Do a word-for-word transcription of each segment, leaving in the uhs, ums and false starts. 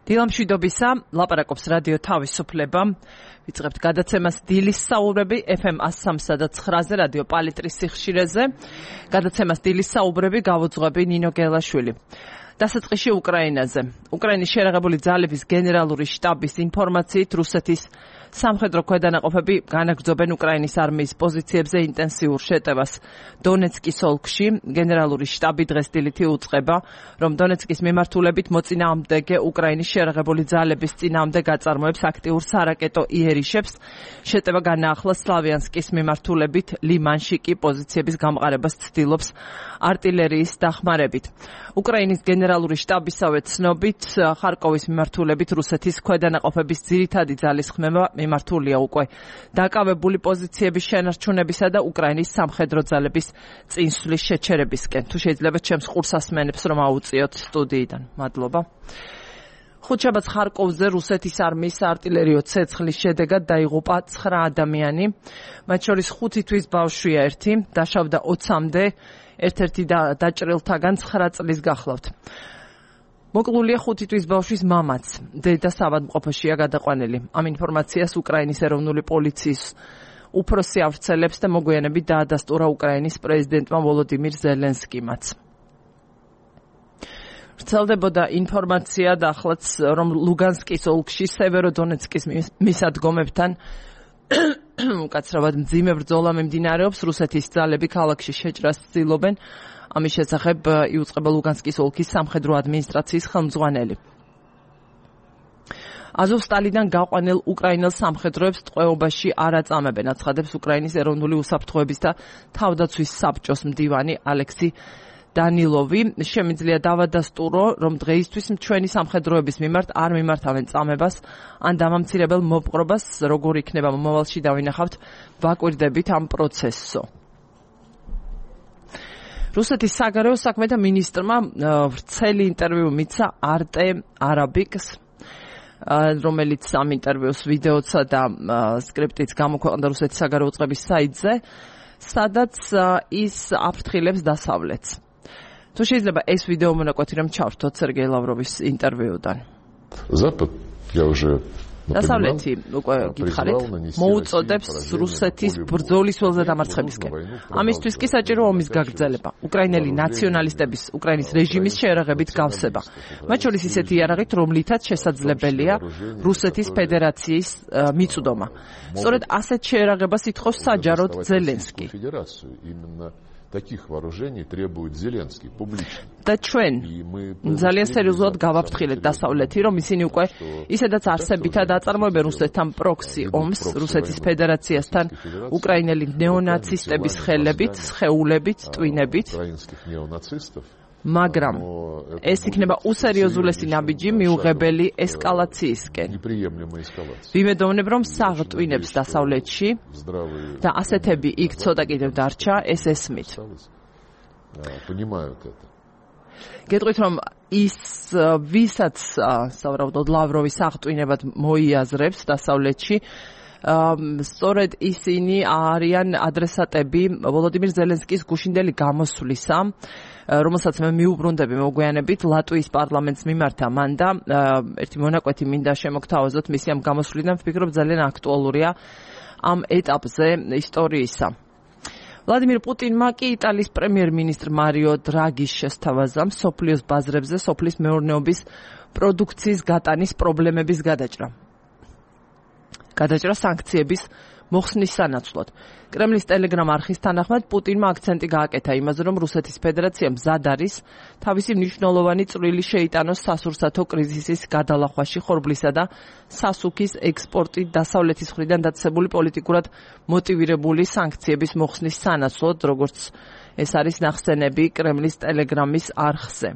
დილამშვიდობისა, ლაპარაკობს რადიო თავისუფლება. ვიწყებთ გადაცემას დილის საუბრები ეფ ემ one oh three და nine-ზე რადიო პალიტრის სიხშირეზე. გადაცემას დილის საუბრები გავუძღვები ნინო გელაშვილი. დასაწყისში უკრაინაზე. უკრაინის შერაღებული ძალების გენერალური შტაბის ინფორმაციით რუსეთის სამხედრო ქვედანაყოფები განაგრძობენ უკრაინის არმიის პოზიციებზე ინტენსიურ შეტევას დონეცკის ოლქში. გენერალური შტაბი დღეს დილით უწყება, რომ დონეცკის მიმართულებით მოწინააღმდეგე უკრაინის შერაღებული ძალების წინააღმდეგ გაწარმოებს აქტიურ სარაკეტო იერიშებს. შეტევა განაახლა სლავიანსკის მიმართულებით, ლიმანში კი პოზიციების გამყარებას ცდილობს артиллерიის დახმარებით. უკრაინის გენერალური შტაბისავე ცნობით, ხარკოვის მიმართულებით რუსეთის ქვედანაყოფების ძირითადი ძალის ხმება მიმართულია უკვე დაკავებული პოზიციების შენარჩუნებისა და უკრაინის სამხედრო ძალების წინსვლის შეჩერებისკენ. თუ შეიძლება ჩემს ყურსასმენებს რომ აუწიოთ სტუდიიდან. მადლობა. ხუთშაბათს ხარკოვზე რუსეთის არმიის артиллериო ცეცხლის შედეგად დაიღუპა ცხრა ადამიანი, მათ შორის ხუთი თვის ბავშვია ერთი, დაშავდა ოცამდე, ერთ-ერთი დაჭრილთაგან ცხრა წლის გახლავთ. მოკლულია ხუთი თვის ბავშვის მამაც, დედა საავადმყოფოშია გადაყვანილი. ამ ინფორმაციას უკრაინის ეროვნული პოლიციის უფროსი ავრცელებს და მოგვიანებით დაადასტურა უკრაინის პრეზიდენტმა ვოლოდიმირ ზელენსკიმაც. ვრცელდებოდა ინფორმაცია და ახლაც, რომ ლუგანსკის ოლქში სევეროდონეცკის მისადგომებთან უკაცრავად მძიმე ბრძოლა მიმდინარეობს. რუსეთის ძალები ქალაქში შეჭრას ცდილობენ. ამის შესახებ იუწყება ლუგანსკის ოლქის სამხედრო ადმინისტრაციის ხელმძღვანელი. აზოვსტალიდან გაყვანილ უკრაინელ სამხედროებს ტყვეობაში არ აწამებენ, აცხადებს უკრაინის ეროვნული უსაფრთხოების და თავდაცვის საბჭოს მდივანი ალექსი დანილოვი. შემიძლია დავადასტურო, რომ დღეისთვის ჩვენი სამხედროების მიმართ არ მიმართავენ წამებას ან დამამცირებელ მოპყრობას, როგორ იქნება მომავალში დავინახავთ, ვაკვირდებით ამ პროცესსო. რუსეთის საგარეო საქმეთა მინისტრმა ვრცელი ინტერვიუ მიცა არტე არაბიკს, რომელიც ამ ინტერვიუს ვიდეოცა და სკრიპტიც გამოქვეყნდა რუსეთის საგარეო წყების საიტზე, სადაც ის აფრთხილებს დასავლეთს. თუ შეიძლება ეს ვიდეო მონაკვეთი რომ ჩავრთოთ სერგეი ლავროვის ინტერვიუდან. დასავლეთი უკვე გითხარით, მოუწოდებს რუსეთის ბრძოლის ველზე დამარცხებისკენ. ამისთვის კი საჭირო ომის გაგრძელება, უკრაინელი ნაციონალისტების უკრაინის რეჟიმის შეერაღებით გავსება. მათ შორის ისეთი იარაღით, რომლითაც შესაძლებელია რუსეთის ფედერაციის მიწვდომა. სწორედ ასეთ შეერაღებას ითხოვს საჯაროდ ზელენსკი. Таких вооружений требует Зеленский публично. და ჩვენ ძალიან სერიოზულად გავაფრთხილეთ დასავლეთი, რომ ისინი უკვე ისედაც არსებითად აწარმოებენ რუსეთთან პროქსი ომს, რუსეთის ფედერაციასთან უკრაინელი ნეონაცისტების ხელებით, სხეულებით, ტვინებით. მაგრამ ეს იქნება უსერიოზულესი ნაბიჯი მიუღებელი ესკალაციისკენ. ვიმედოვნებ, რომ საღტვინებს დასავლეთში და ასეთები იქ ცოტა კიდევ დარჩა, ეს ესმით. გეტყვით, რომ ის ვისაც სავარაუდოდ ლავროვი საღტვინებად მოიაზრებს დასავლეთში, სწორედ ისინი არიან ადრესატები ვოლოდიმირ ზელენსკის გუშინდელი გამოსვლისა, რომელსაც მე მიუბრუნდები მოგვიანებით ლატვიის პარლამენტს მიმართა მან და ერთი მონაკვეთი მინდა შემოგთავაზოთ მისი ამ გამოსვლიდან, ვფიქრობ ძალიან აქტუალურია ამ ეტაპზე ისტორიისა. ვლადიმირ პუტინმა კი იტალიის პრემიერ-მინისტრ მარიო დრაგის შესთავაზა მსოფლიოს ბაზრებზე სოფლის მეურნეობის პროდუქციის გატანის პრობლემების გადაჭრა. გადაჭრა სანქციების მოხსნის სანაცვლოდ. კრემლის ტელეგრამ არხის თანახმად პუტინმა აქცენტი გააკეთა იმაზე, რომ რუსეთის ფედერაცია მზად არის თავისი მნიშვნელოვანი წვლილი შეიტანოს სასურსათო კრიზისის გადალახვაში ხორბლისა და სასუქის ექსპორტით დასავლეთის მხრიდან დაწესებული პოლიტიკურად მოტივირებული სანქციების მოხსნის სანაცვლოდ, როგორც ეს არის ნახსენები კრემლის ტელეგრამის არხზე.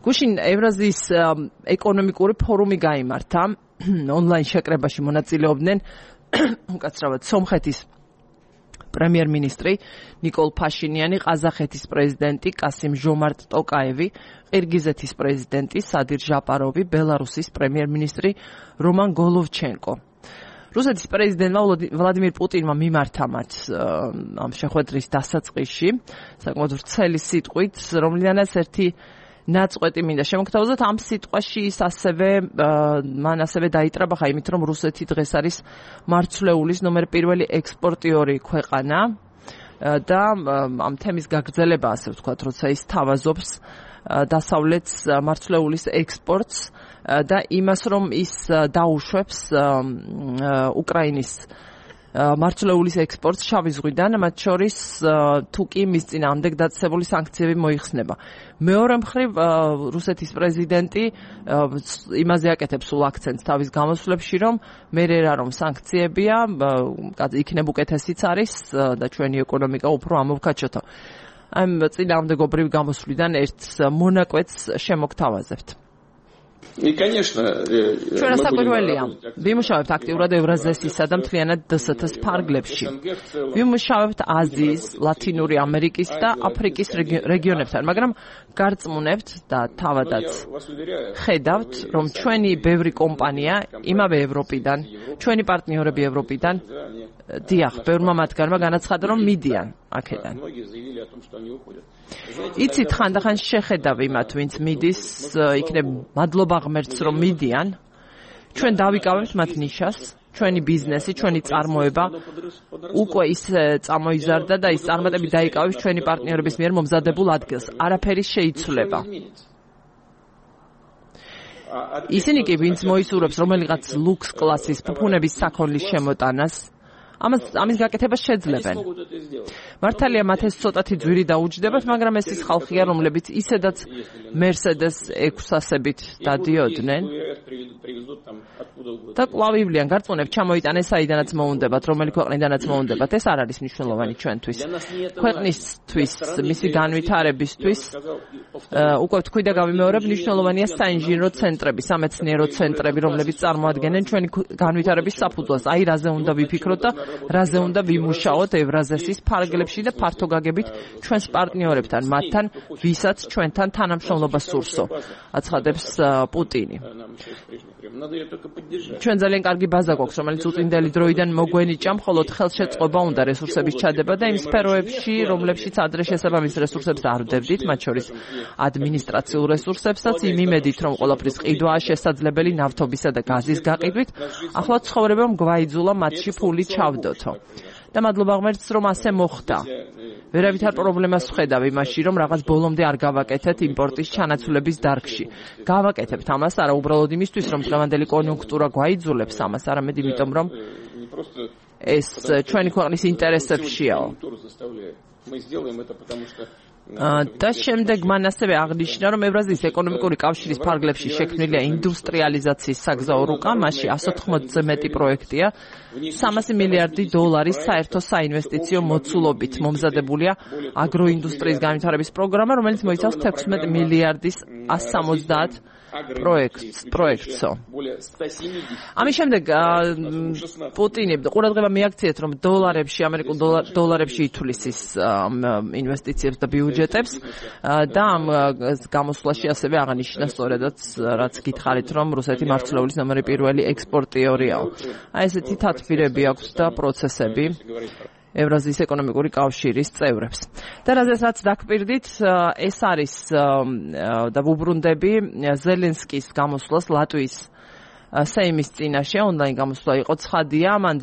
გუშინ ევრაზიის ეკონომიკური ფორუმი გაიმართა. ონლაინ შეკრებაში მონაწილეობდნენ უკაცრავად სომხეთის პრემიერ-მინისტრი ნიკოლ ფაშინიანი, ყაზახეთის პრეზიდენტი კასიმ ჟომარტ ტოკაევი, ყირგიზეთის პრეზიდენტი სადირ ჟაპაროვი, ბელარუსის პრემიერ-მინისტრი რომან გოლოვჩენკო. რუსეთის პრეზიდენტმა ვლადიმირ პუტინმა მიმართა მათ ამ შეხვედრის დასაწყისში საკმაოდ ვრცელი სიტყვით, რომლიდანაც ერთი ნაწყვეტი მინდა შემოგთავაზოთ ამ სიტყვაში ის ასევე მან ასევე დაიტრაბახა იმით რომ რუსეთი დღეს არის მარცვლეულის ნომერ პირველი ექსპორტიორი ქვეყანა და ამ თემის გაგრძელება ასე ვთქვათ როცა ის თავაზობს დასავლეთს მარცვლეულის ექსპორტს და იმას რომ ის დაუშვებს უკრაინის მარცვლეულის ექსპორტს შავი ზღვიდან, მათ შორის თუ კი მის წინააღმდეგ დაწესებული სანქციები მოიხსნება. მეორე მხრივ რუსეთის პრეზიდენტი იმაზე აკეთებს სულ აქცენტს თავის გამოსვლებში, რომ მე რა რომ სანქციებია, იქნებ უკეთესიც არის და ჩვენი ეკონომიკა უფრო ამოვქაჩოთო. ამ წინააღმდეგობრივ გამოსვლიდან ერთ მონაკვეთს შემოგთავაზებთ. И, конечно, ჩვენ საკუთრებელია. ვიმუშავებთ აქტიურად ევრაზიასისა და მთლიანად დსთ-ს ფარგლებში. ვიმუშავებთ აზიის, ლათინური ამერიკის და აფრიკის რეგიონებთან, მაგრამ გარწმუნებთ და თავადაც ხედავთ, რომ ჩვენი ბევრი კომპანია იმავე ევროპიდან, ჩვენი პარტნიორები ევროპიდან, დიახ, ბევრმა მათგანმა განაცხადა, რომ მიდიან აქედან. იცით, ხანდახან შეხედავ იმათ, ვინც მიდის, იქნებ მადლობა ღმერთს, რომ მიდიან. ჩვენ დავიკავებთ მათ ნიშას, ჩვენი ბიზნესი, ჩვენი წარმოება უკვე ის წამოიზარდა და ის წარმატებით დაიკავებს ჩვენი პარტნიორების მიერ მომზადებულ ადგილს. არაფერი შეიცვლება. ისინი კი, ვინც მოისურვებს რომელიღაც ლუქს კლასის ფუფუნების საქონლის შემოტანას, ამას ამის გაკეთებას შეძლებენ. მართალია მათ ეს ცოტათი ძვირი დაუჯდებათ, მაგრამ ეს ის ხალხია, რომლებიც ისედაც Mercedes ექვსასებით დადიოდნენ. და კვლავ ივლიან, გარწმუნებთ, ჩამოიტანეს საიდანაც მოუნდებათ, რომელი ქვეყნიდანაც მოუნდებათ. ეს არ არის მნიშვნელოვანი ჩვენთვის. ქვეყნისთვის, მისი განვითარებისთვის, უკვე ვთქვი და გავიმეორებ, მნიშვნელოვანია საინჟინრო ცენტრები, სამეცნიერო ცენტრები, რომლებიც წარმოადგენენ ჩვენი განვითარების საფუძველს. აი რაზე უნდა ვიფიქროთ და რაზე უნდა ვიმუშაოთ ევრაზიასის ფარგლებში და ფართოგაგებით ჩვენს პარტნიორებთან, მათთან, ვისაც ჩვენთან თანამშრომლობა სურსო, აცხადებს პუტინი. ჩვენ ძალიან კარგი ბაზა გვაქვს, რომელიც უწინდელი დროიდან მოგვენიჭა, მხოლოდ ხელშეწყობა უნდა რესურსების ჩადება და იმ სფეროებში, რომლებშიც ადრე შესაბამის რესურსებს არ ვდებდით, მათ შორის ადმინისტრაციულ რესურსებსაც, იმ იმედით, რომ ყველაფრის ყიდვაა შესაძლებელი ნავთობისა და გაზის გაყიდვით, ახლა ცხოვრებამ გვაიძულა მათში ფული ჩავდოთო. და მადლობა ღმერთს, რომ ასე მოხდა. ვერავითარ პრობლემას ვხედავ იმაში, რომ რაღაც ბოლომდე არ გავაკეთეთ იმპორტის ჩანაცვლების დარგში. გავაკეთებთ ამას არა უბრალოდ იმისთვის, რომ დღევანდელი კონიუნქტურა გვაიძულებს ამას, არამედ იმიტომ, რომ ეს ჩვენი ქვეყნის ინტერესებშიაო. და შემდეგ მან ასევე აღნიშნა, რომ ევრაზიის ეკონომიკური კავშირის ფარგლებში შექმნილია ინდუსტრიალიზაციის საგზაო რუკა, მასში εκατს ოთხმოცზე მეტი პროექტია, სამასი მილიარდი დოლარის საერთო საინვესტიციო მოცულობით მომზადებულია აგროინდუსტრიის განვითარების პროგრამა, რომელიც მოიცავს თექვსმეტ მილიარდის εκατს სამოცდაათ პროექტს, პროექტსო. ამის შემდეგ პუტინი ყურადღება მიაქციეთ, რომ დოლარებში, ამერიკულ დოლარებში ითვლის ის ინვესტიციებს და ბიუჯეტებს და ამ გამოსვლაში ასევე აღნიშნა სწორედაც რაც გითხარით, რომ რუსეთი მარცვლეულის ნომერი პირველი ექსპორტიორიაო. აი ესეთი თათბირები აქვს და პროცესები ევრაზიის ეკონომიკური კავშირის წევრებს. და რაზეც დაგპირდით, ეს არის და ვუბრუნდები ზელენსკის გამოსვლას ლატვიის სეიმის წინაშე, ონლაინ გამოსვლა იყო ცხადია, მან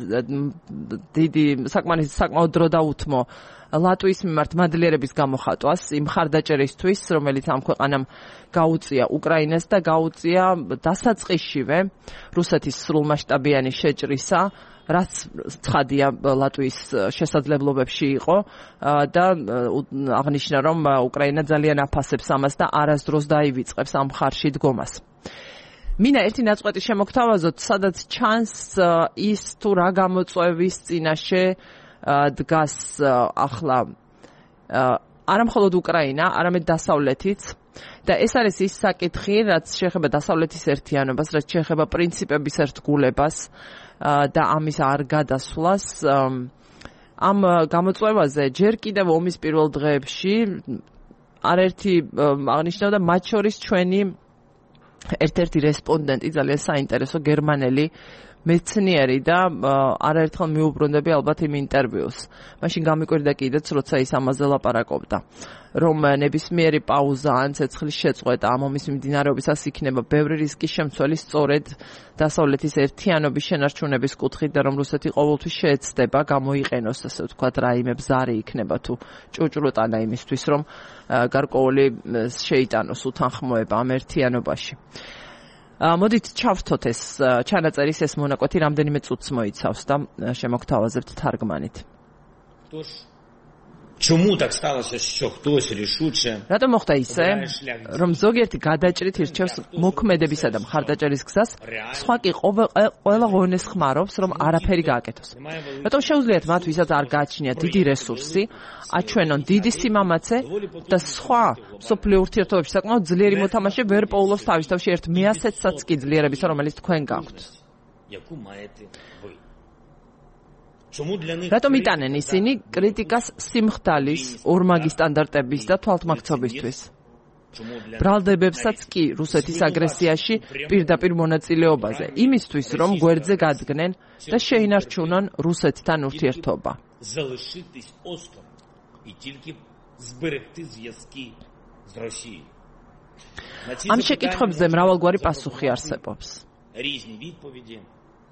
დიდი საკმაოდ საკმაოდ დრო დაუთმო ლატვიის მიმართ მადლიერების გამოხატვას იმ მხარდაჭერისთვის, რომელიც ამ ქვეყანამ გაუწია უკრაინას და გაუწია დასაწყისშივე რუსეთის სრულმასშტაბიანი შეჭრისა, რაც ცხადია ლატვიის შესაძლებლობებში იყო და აღნიშნა, რომ უკრაინა ძალიან აფასებს ამას და არასდროს დაივიწყებს ამ მხარში დგომას. მინდა ერთი ნაწყვეტი შემოგთავაზოთ, სადაც ჩანს ის თუ რა გამოწვევის წინაშე დგას ახლა არა მხოლოდ უკრაინა, არამედ დასავლეთიც. და ეს არის ის საკითხი, რაც შეეხება დასავლეთის ერთიანობას, რაც შეეხება პრინციპების ერთგულებას და ამის არ გადასვლას. ამ გამოწვევაზე ჯერ კიდევ ომის პირველ დღეებში არაერთი აღნიშნავდა, მათ შორის ჩვენი ერთ-ერთი რესპონდენტი, ძალიან საინტერესო გერმანელი მეცნიერი და არაერთხელ მიუბრუნდები ალბათ იმ ინტერვიუს. მაშინ გამიკვირდა კიდეც, როცა ის ამაზე ლაპარაკობდა, რომ ნებისმიერი პაუზა ან ცეცხლის შეწყვეტა ამ ომის მიმდინარეობისას იქნება ბევრი რისკის შემცველი სწორედ დასავლეთის ერთიანობის შენარჩუნების კუთხით და რომ რუსეთი ყოველთვის შეეცდება გამოიყენოს, ასე ვთქვათ, რაიმე ბზარი იქნება თუ ჭუჭრუტანა იმისთვის, რომ გარკვეული შეიტანოს უთანხმოება ამ ერთიანობაში. მოდით ჩავთოთ ეს ჩანაწერის ეს მონაკვეთი რამდენიმე წუთს მოიცავს და შემოგთავაზებთ თარგმანით. Чому так сталося, що хтось рішуче? რატომ მოხდა ისე, რომ ზოგიერთი გადაჭრით ირჩევს მოქმედებისა და მხარდაჭერის გზას, სხვა კი ყველა ღონეს ხმარობს, რომ არაფერი გააკეთოს. რატომ შეუძლიათ მათ, ვისაც არ გააჩნიათ დიდი რესურსი, აჩვენონ დიდი სიმამაცე და სხვა მსოფლიო ურთიერთობებში საკმაოდ ძლიერი მოთამაშე ვერ პოულობს თავის თავში ერთ მეასეთსაც კი ძლიერებისა, რომელიც თქვენ გაქვთ. რატომ იტანენ ისინი კრიტიკას სიმხდალის, ორმაგი სტანდარტების და თვალთმაქცობისთვის? ბრალდებებსაც კი რუსეთის აგრესიაში პირდაპირ მონაწილეობაზე, იმისთვის, რომ გვერდზე გადგნენ და შეინარჩუნონ რუსეთთან ურთიერთობა. ამ შეკითხვებზე მრავალგვარი პასუხი არსებობს.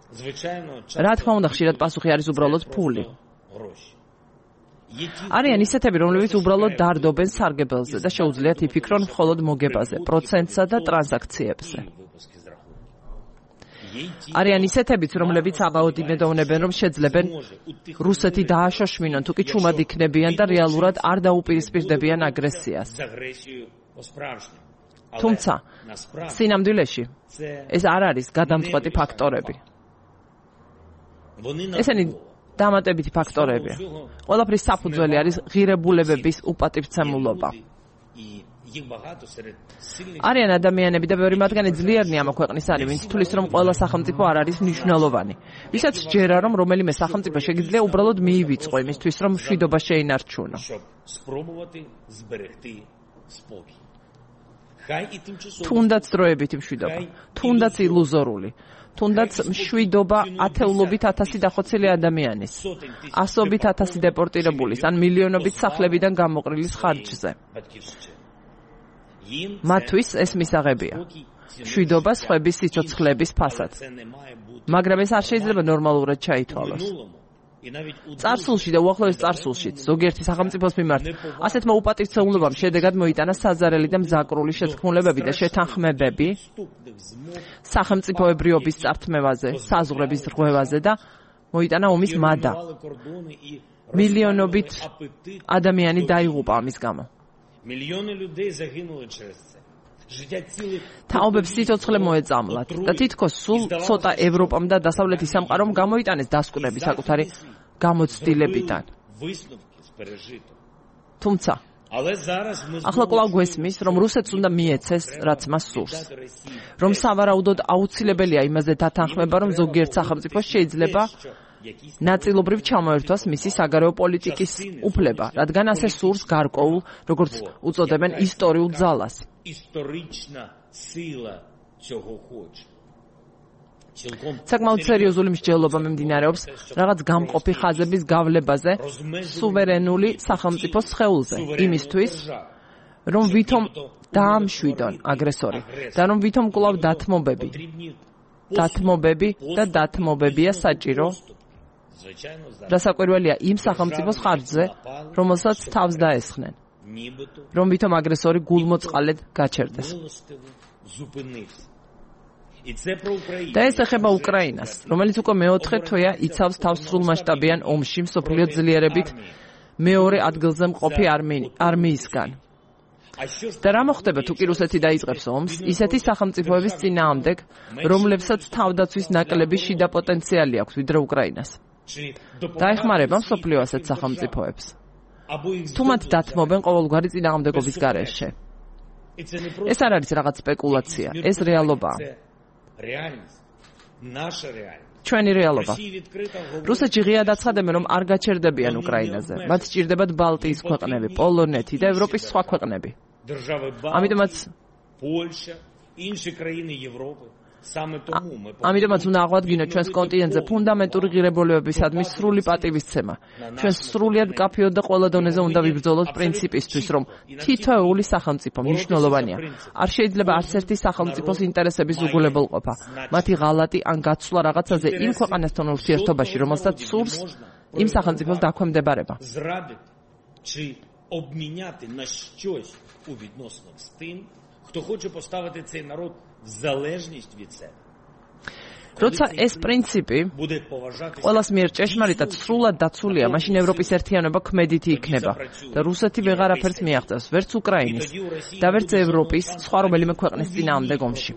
რა თქმა უნდა, ხშირად პასუხი არის უბრალოდ ფული. არიან ისეთები, რომლებიც უბრალოდ დარდობენ სარგებელზე და შეუძლიათ იფიქრონ მხოლოდ მოგებაზე, პროცენტსა და ტრანზაქციებზე. არიან ისეთებიც, რომლებიც აღაუდინებენ, რომ შეძლებენ რუსეთი დააშოშმინონ, თუ კი ჩუმად იქნებიან და რეალურად არ დაუპირისპირდებიან აგრესიას. თუმცა, სინამდვილეში, ეს არ არის გადამწყვეტი ფაქტორები. ესენი დამატებითი ფაქტორებია. ყველაფრის საფუძველი არის ღირებულებების უპატივცემულობა. არიან ადამიანები და ბევრი მათგანი ძლიერნი ამ ქვეყნის არის, ვინც თulis რომ ყველა სახელმწიფო არ არის მნიშვნელოვანი. ვისაც სჯერა, რომ რომელიმე სახელმწიფო შეგიძლია უბრალოდ მიივიწყო იმისთვის, რომ მშვიდობა შეინარჩუნო. თუნდაც დროებითი მშვიდობა, თუნდაც ილუზორული. თუნდაც მშვიდობა ათეულობით ათასი დახოცილი ადამიანის, ასობით ათასი დეპორტირებულის, ან მილიონობით სახლებიდან გამოყრილის ხარჯზე. მათთვის ეს მისაღებია. მშვიდობა სხვების სიცოცხლების ფასად. მაგრამ ეს არ შეიძლება ნორმალურად ჩაითვალოს. წარსულში და უახლოეს წარსულშიც ზოგიერთი სახელმწიფოს მიმართ ასეთმა უპატივცემულობამ შედეგად მოიტანა საზარელი და მზაკრული შეთქმულებები და შეთანხმებები სახელმწიფოებრიობის წართმევაზე, საზღვრების რღვევაზე და მოიტანა ომის მადა. მილიონობით ადამიანი დაიღუპა ამის გამო. თაობებს სიცოცხლე მოეწამლათ და თითქოს სულ ცოტა ევროპამ და დასავლეთის სამყარომ გამოიტანეს დასკვნები საკუთარი გამოცდილებიდან. თუმცა, ახლა კვლავ გვესმის, რომ რუსეთს უნდა მიეცეს, რაც მას სურს. რომ სავარაუდოდ აუცილებელია იმაზე დათანხმება, რომ ზოგიერთ სახელმწიფოს შეიძლება ნაწილობრივ ჩამოერთვას მისი საგარეო პოლიტიკის უფლება, რადგან ასე სურს გარკვეულ, როგორც უწოდებენ, ისტორიულ ძალას. საკმაოდ სერიოზული მსჯელობა მიმდინარეობს რაღაც გამყოფი ხაზების გავლებაზე სუვერენული სახელმწიფოს სხეულზე, იმისთვის, რომ ვითომ დაამშვიდონ აგრესორი და რომ ვითომ კვლავ დათმობები, დათმობები და დათმობებია საჭირო. დასაკვირველია იმ სახელმწიფოს ხარჯზე, რომელსაც თავს დაესხნენ, რომ ვითომ აგრესორი გულმოწყალედ გაჩერდეს. და ეს ეხება უკრაინას, რომელიც უკვე მეოთხე თვეა იცავს თავს სრულმასშტაბიან ომში მსოფლიო ძლიერებით მეორე ადგილზე მყოფი არმიისგან. და რა მოხდება თუ კი რუსეთი დაიწყებს ომს, ისეთი სახელმწიფოების წინააღმდეგ, რომლებსაც თავდაცვის ნაკლები შიდა პოტენციალი აქვს ვიდრე უკრაინას. დაეხმარება მსოფლიო ასეთ სახელმწიფოებს. თუ მათ დათმობენ ყოველგვარი წინააღმდეგობის გარეშე. ეს არ არის რაღაც სპეკულაცია, ეს რეალობაა. ჩვენი რეალობა. რუსეთში ღიად აცხადებენ, რომ არ გაჩერდებიან უკრაინაზე. მათ სჭირდებათ ბალტიის ქვეყნები, პოლონეთი და ევროპის სხვა ქვეყნები. ამიტომაც ამიტომაც უნდა აღვადგინოთ ჩვენს კონტინენტზე ფუნდამენტური ღირებულებებისადმი სრული პატივისცემა. ჩვენ სრულიად მკაფიოდ და ყველა დონეზე უნდა ვიბრძოლოთ პრინციპისთვის, რომ თითოეული სახელმწიფო მნიშვნელოვანია. არ შეიძლება არც ერთი სახელმწიფოს ინტერესების უგულებელყოფა, მათი ღალატი ან გაცვლა რაღაცაზე იმ ქვეყანასთან ურთიერთობაში, რომელსაც სურს იმ სახელმწიფოს დაქვემდებარება. Обміняти на щось у відносинах з тим, хто хоче поставити цей народ в залежність від себе. როცა ეს პრინციპი ყველას მიერ ჭეშმარიტად სრულად დაცულია, მაშინ ევროპის ერთიანობა ქმედითი იქნება და რუსეთი ვეღარაფერს მიაღწევს, ვერც უკრაინის და ვერც ევროპის სხვა რომელიმე ქვეყნის წინააღმდეგ ომში.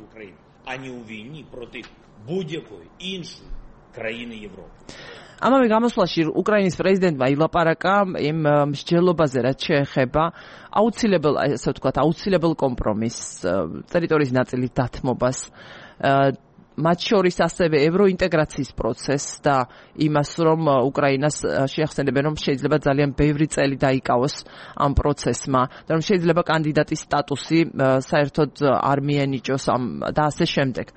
ამავე გამოსვლაში უკრაინის პრეზიდენტმა ილაპარაკა იმ მსჯელობაზე, რაც შეეხება აუცილებელ, ასე ვთქვათ, აუცილებელ კომპრომისს, ტერიტორიის ნაწილის დათმობას, მათ შორის ასევე ევროინტეგრაციის პროცესს და იმას, რომ უკრაინას შეახსენებენ, რომ შეიძლება ძალიან ბევრი წელი დაიკავოს ამ პროცესმა და რომ შეიძლება კანდიდატის სტატუსი საერთოდ არ მიენიჭოს და ასე შემდეგ.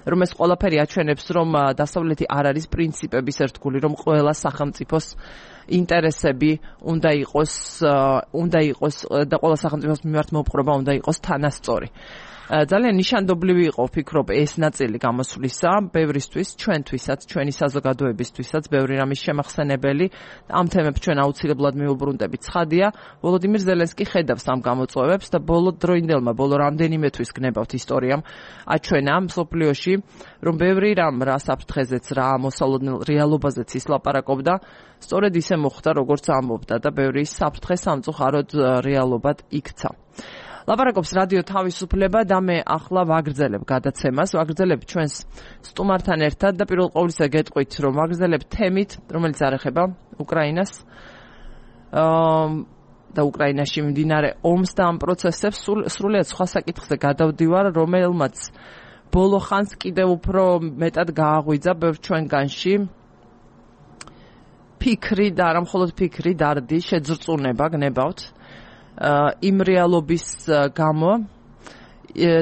რომ ეს ყველაფერი აჩვენებს, რომ დასავლეთი არ არის პრინციპების ერთგული, რომ ყველა სახელმწიფოს ინტერესები უნდა იყოს, უნდა იყოს და ყველა სახელმწიფოს მიმართ მოპყრობა უნდა იყოს თანასწორი. ძალიან ნიშანდობლივი იყო, ვფიქრობ, ეს ნაწილი გამოსვლისა, ბევრისთვის, ჩვენთვისაც, ჩვენი საზოგადოებისთვისაც, ბევრი რამის შემახსენებელი, ამ თემებს ჩვენ აუცილებლად მივუბრუნდებით. ცხადია, ვოლოდიმირ ზელენსკი ხედავს ამ გამოწვევებს და ბოლო დროინდელმა, ბოლო რამდენიმე თვის გნებავთ ისტორიამ აჩვენა მსოფლიოში, რომ ბევრი რამ რა საფრთხეზეც, რა მოსალოდნელ რეალობაზეც ის ლაპარაკობდა, სწორედ ისე მოხდა, როგორც ამბობდა და ბევრი საფრთხე სამწუხაროდ რეალობად იქცა. ლაპარაკობს რადიო თავისუფლება და მე ახლა ვაგრძელებ გადაცემას, ვაგრძელებ ჩვენს სტუმართან ერთად და პირველ ყოვლისა გეტყვით, რომ ვაგრძელებ თემით, რომელიც არ ეხება უკრაინას და უკრაინაში მიმდინარე ომს და ამ პროცესებს, სრულიად სხვა საკითხზე გადავდივარ, რომელმაც ბოლო ხანს კიდევ უფრო მეტად გააღვიძა ბევრ ჩვენგანში ფიქრი და არა მხოლოდ ფიქრი, დარდი, შეძრწუნება გნებავთ იმ რეალობის გამო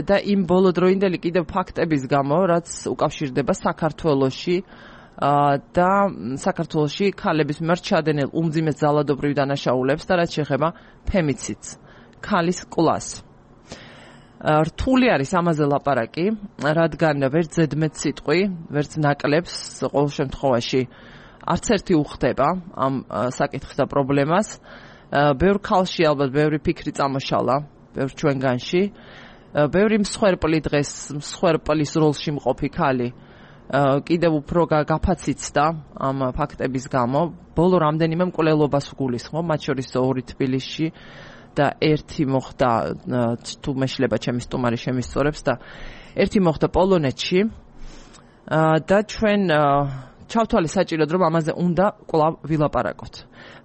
და იმ ბოლოდროინდელი კიდევ ფაქტების გამო, რაც უკავშირდება საქართველოში და საქართველოში ქალების მიმართ ჩადენილ უმძიმეს ძალადობრივ დანაშაულებს და რაც შეეხება ფემიციდს, ქალის კლას. რთული არის ამაზე ლაპარაკი, რადგან ვერც ზედმეტ სიტყვი, ვერც ნაკლებს ყოველ შემთხვევაში არც ერთი უხდება ამ საკითხს და პრობლემას. ბევრ ქალში ალბათ ბევრი ფიქრი წამოშალა, ბევრ ჩვენგანში, ბევრი მსხვერპლი დღეს მსხვერპლის როლში მყოფი ქალი კიდევ უფრო გაფაციცდა ამ ფაქტების გამო. ბოლო რამდენიმე მკვლელობას ვგულისხმობ, მათ შორის ორი თბილისში და ერთი მოხდა, თუ მეშლება ჩემი სტუმარი შემისწორებს, და ერთი მოხდა პოლონეთში და ჩვენ ჩავთვალე საჭიროდ, რომ ამაზე უნდა კვლავ ვილაპარაკოთ.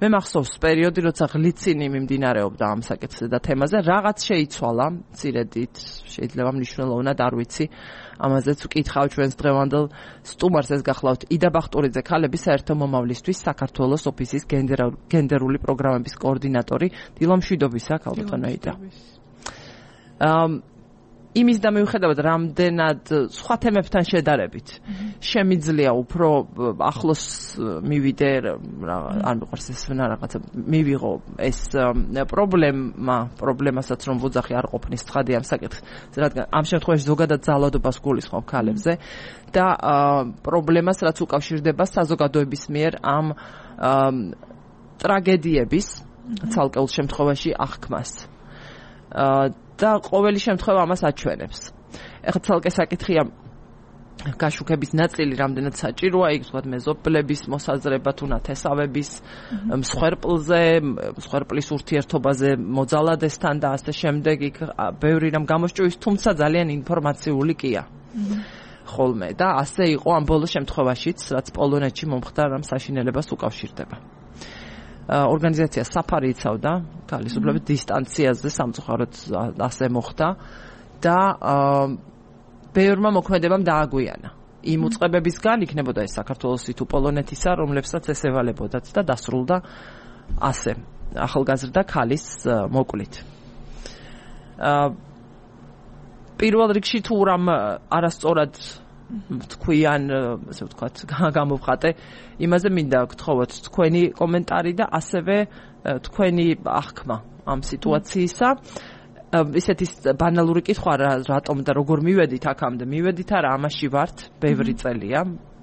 მე მახსოვს პერიოდი, როცა ღლიცინი მიმდინარეობდა ამ საკითხზე და თემაზე, რაღაც შეიცვალა, მცირედით, შეიძლება მნიშვნელოვნად, არ ვიცი, ამაზეც ვკითხავ ჩვენს დღევანდელ სტუმარს, ეს გახლავთ იდა ბახტურიძე, ქალების საერთო მომავლისთვის საქართველოს ოფისის გენდერული პროგრამების კოორდინატორი. დილა მშვიდობისა, ქალბატონო იდა. იმის და მიუხედავად რამდენად სხვა თემებთან შედარებით შემიძლია უფრო ახლოს მივიდე, არ მიყვარს ეს რაღაცა, მივიღო ეს პრობლემა, პრობლემასაც რომ ვუძახი არ ყოფნის ცხადი ამ საკითხს, რადგან ამ შემთხვევაში ზოგადად ძალადობას გულისხმობ ქალებზე და პრობლემას, რაც უკავშირდება საზოგადოების მიერ ამ ტრაგედიების ცალკეულ შემთხვევაში აღქმას. და ყოველი შემთხვევა ამას აჩვენებს. ეხლა ცალკე საკითხია გაშუქების ნაწილი რამდენად საჭიროა, იქ თქვათ მეზობლების მოსაზრება თუ ნათესავების მსხვერპლზე, მსხვერპლის ურთიერთობაზე მოძალადესთან და ასე შემდეგ, იქ ბევრი რამ გამოსჭვის, თუმცა ძალიან ინფორმაციული კია. ხოლმე და ასე იყო ამ ბოლო შემთხვევაშიც, რაც პოლონეთში მომხდა რამ საშინელებას უკავშირდება. ორგანიზაცია საფარი იცავდა ქალისუფლების დისტანციაზე, სამწუხაროდ ასე მოხდა და ბევრმა მოქმედებამ დააგვიანა. იმ უწყებებისგან იქნებოდა ეს საქართველოსი თუ პოლონეთისა, რომლებსაც ეს ევალებოდათ და დასრულდა ასე ახალგაზრდა ქალის მოკლით. პირველ რიგში თუ რამ არასწორად თქვიან, ასე ვთქვათ, გამოვხატე, იმაზე მინდა გთხოვოთ თქვენი კომენტარი და ასევე თქვენი აღქმა ამ სიტუაციისა. ისეთი ბანალური კითხვა რატომ და როგორ მივედით აქამდე? მივედით არა, ამაში ვართ, ბევრი წელია,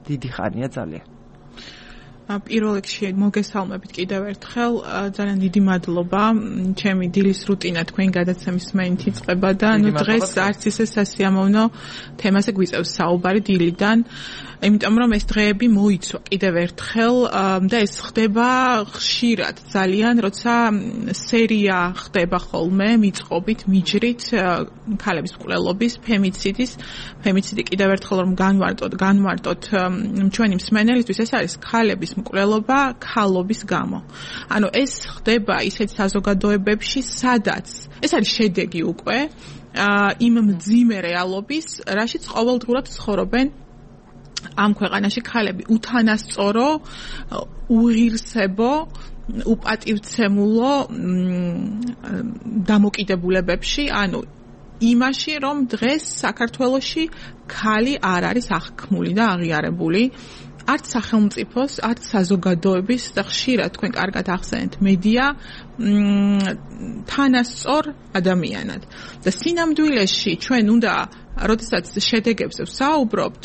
დიდი ხანია ძალიან. პირველ რიგში მოგესალმებით კიდევ ერთხელ, ძალიან დიდი მადლობა. ჩემი დილის რუტინა თქვენ გადაცემის მენით იწყება და ნუ დღეს არც ისე სასიამოვნო თემაზე გვიწევს საუბარი დილიდან, იმიტომ რომ ეს დღეები მოიცვა კიდევ ერთხელ და ეს ხდება ხშირად ძალიან, როცა სერია ხდება ხოლმე მიწყობით, მიჯრით ქალების მკვლელობის, ფემიციდის, ფემიციდი კიდევ ერთხელ რომ განვარტოთ, განვარტოთ ჩვენი მსმენელისთვის, ეს არის ქალების მკვლელობა ქალობის გამო. ანუ ეს ხდება ისეთ საზოგადოებებში, სადაც ეს არის შედეგი უკვე იმ მძიმე რეალობის, რაშიც ყოველდღურად ცხოვრობენ ამ ქვეყანაში ქალები, უთანასწორო, უღირსებო, უპატივცემულო დამოკიდებულებებში, ანუ იმაში, რომ დღეს საქართველოში ქალი არ არის აღქმული და აღიარებული. არც სახელმწიფოს, არც საზოგადოების და ხშირად თქვენ კარგად ახსენეთ მედია თანასწორ ადამიანად. და სინამდვილეში ჩვენ უნდა, როდესაც შედეგებზე ვსაუბრობთ,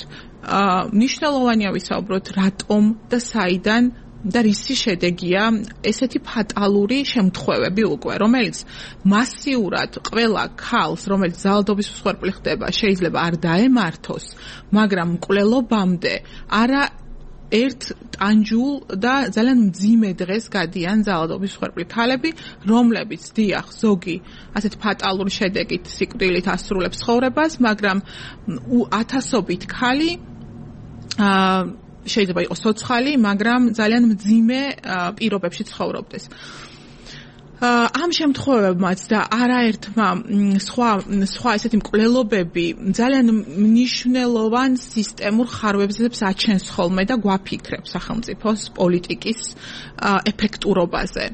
მნიშვნელოვანია ვისაუბროთ რატომ და საიდან და რისი შედეგია ესეთი ფატალური შემთხვევები უკვე, რომელიც მასიურად ყველა ქალს, რომელიც ძალადობის მსხვერპლი ხდება, შეიძლება არ დაემართოს, მაგრამ მკვლელობამდე არა ერთ ტანჯულ და ძალიან მძიმე დღეს გადიან ძალადობის მსხვერპლი ქალები, რომლებიც დიახ, ზოგი ასეთ ფატალური შედეგით სიკვდილით ასრულებს ცხოვრებას, მაგრამ ათასობით ქალი შეიძლება იყოს ცოცხალი, მაგრამ ძალიან მძიმე პირობებში ცხოვრობდეს. ამ შემთხვევებმაც და არაერთმა სხვა სხვა ესეთი მკვლელობები ძალიან მნიშვნელოვან სისტემურ ხარვებზებს აჩენს ხოლმე და გვაფიქრებს სახელმწიფოს პოლიტიკის ეფექტურობაზე.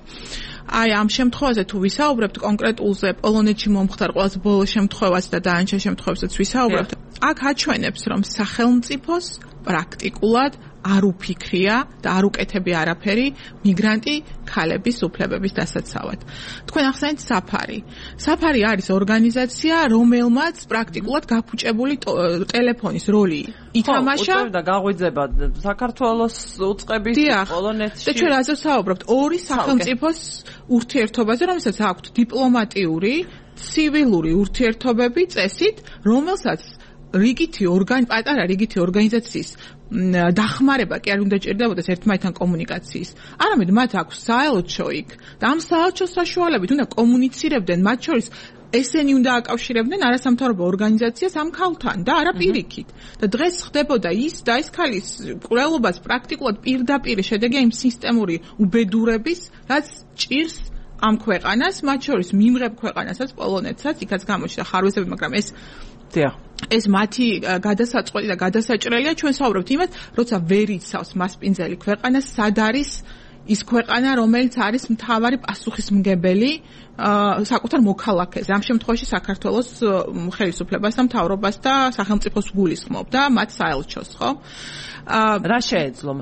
აი ამ შემთხვევაზე თუ ვისაუბრებთ კონკრეტულზე, პოლონეთში მომხდარ ყველაზე ბოლო შემთხვევას და დაანჩა შემთხვევასაც ვისაუბრებთ, აქ აჩვენებს, რომ სახელმწიფოს პრაქტიკულად არ უფიქრია და არ უკეთებია არაფერი მიგრანტი ქალების უფლებების დასაცავად. თქვენ ახსენეთ საფარი. საფარი არის ორგანიზაცია, რომელმაც პრაქტიკულად გაფუჭებული ტელეფონის როლი ითამაშა და გაღვიძება საქართველოს უწყების პოლონეთში. და ჩვენ რაზე ვსაუბრობთ? ორი სახელმწიფოს ურთიერთობაზე, რომელსაც აქვთ დიპლომატიური, ცივილური ურთიერთობები წესით, რომელსაც რიგითი ორგან პატარა რიგითი ორგანიზაციის დახმარება კი არ უნდა ჭირდებოდეს ერთმანეთთან კომუნიკაციის. არამედ მათ აქვს საელჩო იქ და ამ საელჩოს საშუალებით უნდა კომუნიცირებდნენ, მათ შორის ესენი უნდა აკავშირებდნენ არასამთავრობო ორგანიზაციას ამ ქალთან და არა პირიქით. და დღეს ხდებოდა ის და ეს ქალის მკვლელობაც პრაქტიკულად პირდაპირ შედეგია იმ სისტემური უბედურების, რაც ჭირს ამ ქვეყანას, მათ შორის მიმღებ ქვეყანასაც, პოლონეთსაც, იქაც გამოჩნდა ხარვეზები, მაგრამ ეს ეს მათი გადასაწყვეტი და გადასაჭრელია. ჩვენ საუბრობთ იმას, როცა ვერ იცავს მასპინძელი ქვეყანა, სად არის ის ქვეყანა, რომელიც არის მთავარი პასუხისმგებელი საკუთარ მოქალაქეზე. ამ შემთხვევაში საქართველოს ხელისუფლებას და მთავრობას და სახელმწიფოს გულისხმობ და მათ საელჩოს, ხო? რა შეეძლო